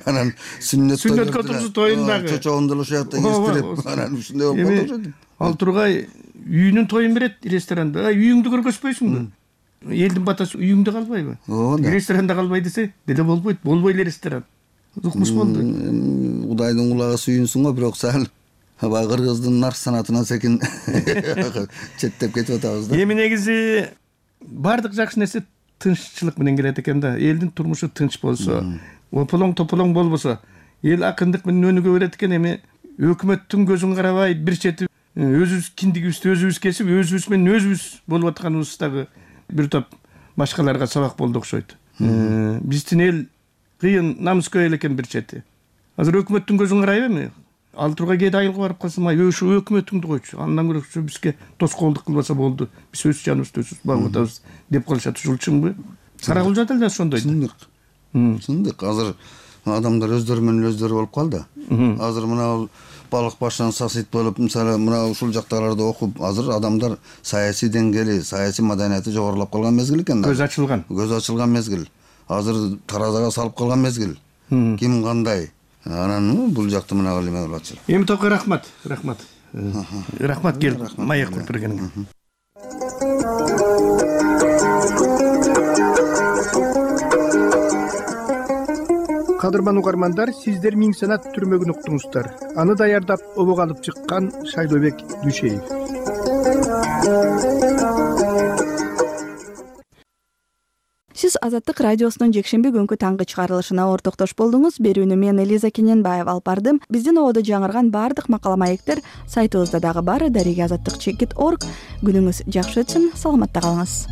Анан сүннөт сүннөт которсу тоюн дагы. Чочогун деле ошол жакта кестирип, анан ушундай болуп калды. Ал тургай үйүнүн тоюн берет ресторанда. Үйүңдү көргөзбөйсүңбү? Элдин батасы үйүңдө калбайбы? Ресторанда калбай десе, деле болбойт. Болбой эле ресторан. Укмуш болду. Кудайдын кулагы сүйүнсүң го, бирок сал баягы кыргыздын нарк санатына секин четтеп кетип атабыз да. Эми негизи баардык жакшы нерсе тынччылык менен келет экен да. Элдин турмушу тынч болсо, ополоң тополоң болбосо, эл акындык менен өнүгө берет экен. Эми өкмөттүн көзүн карабай бир чети өзүбүз киндигибизди өзүбүз кесип, өзүбүз менен өзүбүз болуп атканыбыз дагы бир топ башкаларга сабак болду окшойт. Биздин эл кыйын намыскөй эл экен бир чети. Азыр өкмөттүн көзүн карайбы эми? Ал тургай кээде айылга барып калсам, ай ошо өкмөтүңдү койчу. Андан көрө бизге тоскоолдук кылбаса болду. Биз өз жаныбызды өзүбүз багып атабыз деп калышат. Ушул чынбы? Каракулжа деле ошондой. Чындык. Чындык. Азыр адамдар өздөрү менен өздөрү болуп калды. Азыр мына балык башынан сасыйт болуп, мисалы мына ушул жактагыларды окуп, азыр адамдар саясий деңгээли, саясий маданияты жогорулап калган мезгил экен да. Көз ачылган. Көз ачылган мезгил. Азыр таразага салып калган мезгил. Ким кандай? Анан бул жакты мына эме болуп атышат. Эми тока рахмат, рахмат. Рахмат келип маек куруп бергениңе. Кадырман угармандар, сиздер Миң санат түрмөгүн уктуңуздар. Аны даярдап обок алып чыккан Шайлообек Дүйшеев. Сиз Азаттык радиосунун жекшемби күнкү таңкы чыгарылышына ортоктош болдуңуз. Берүүнү мен Элиза Кененбаева алып бардым. Биздин ободо жаңырган баардык макала маектер сайтыбызда дагы бар. дареги азаттык чекит точка орг. Күнүңүз жакшы өтсүн. Саламатта калыңыз.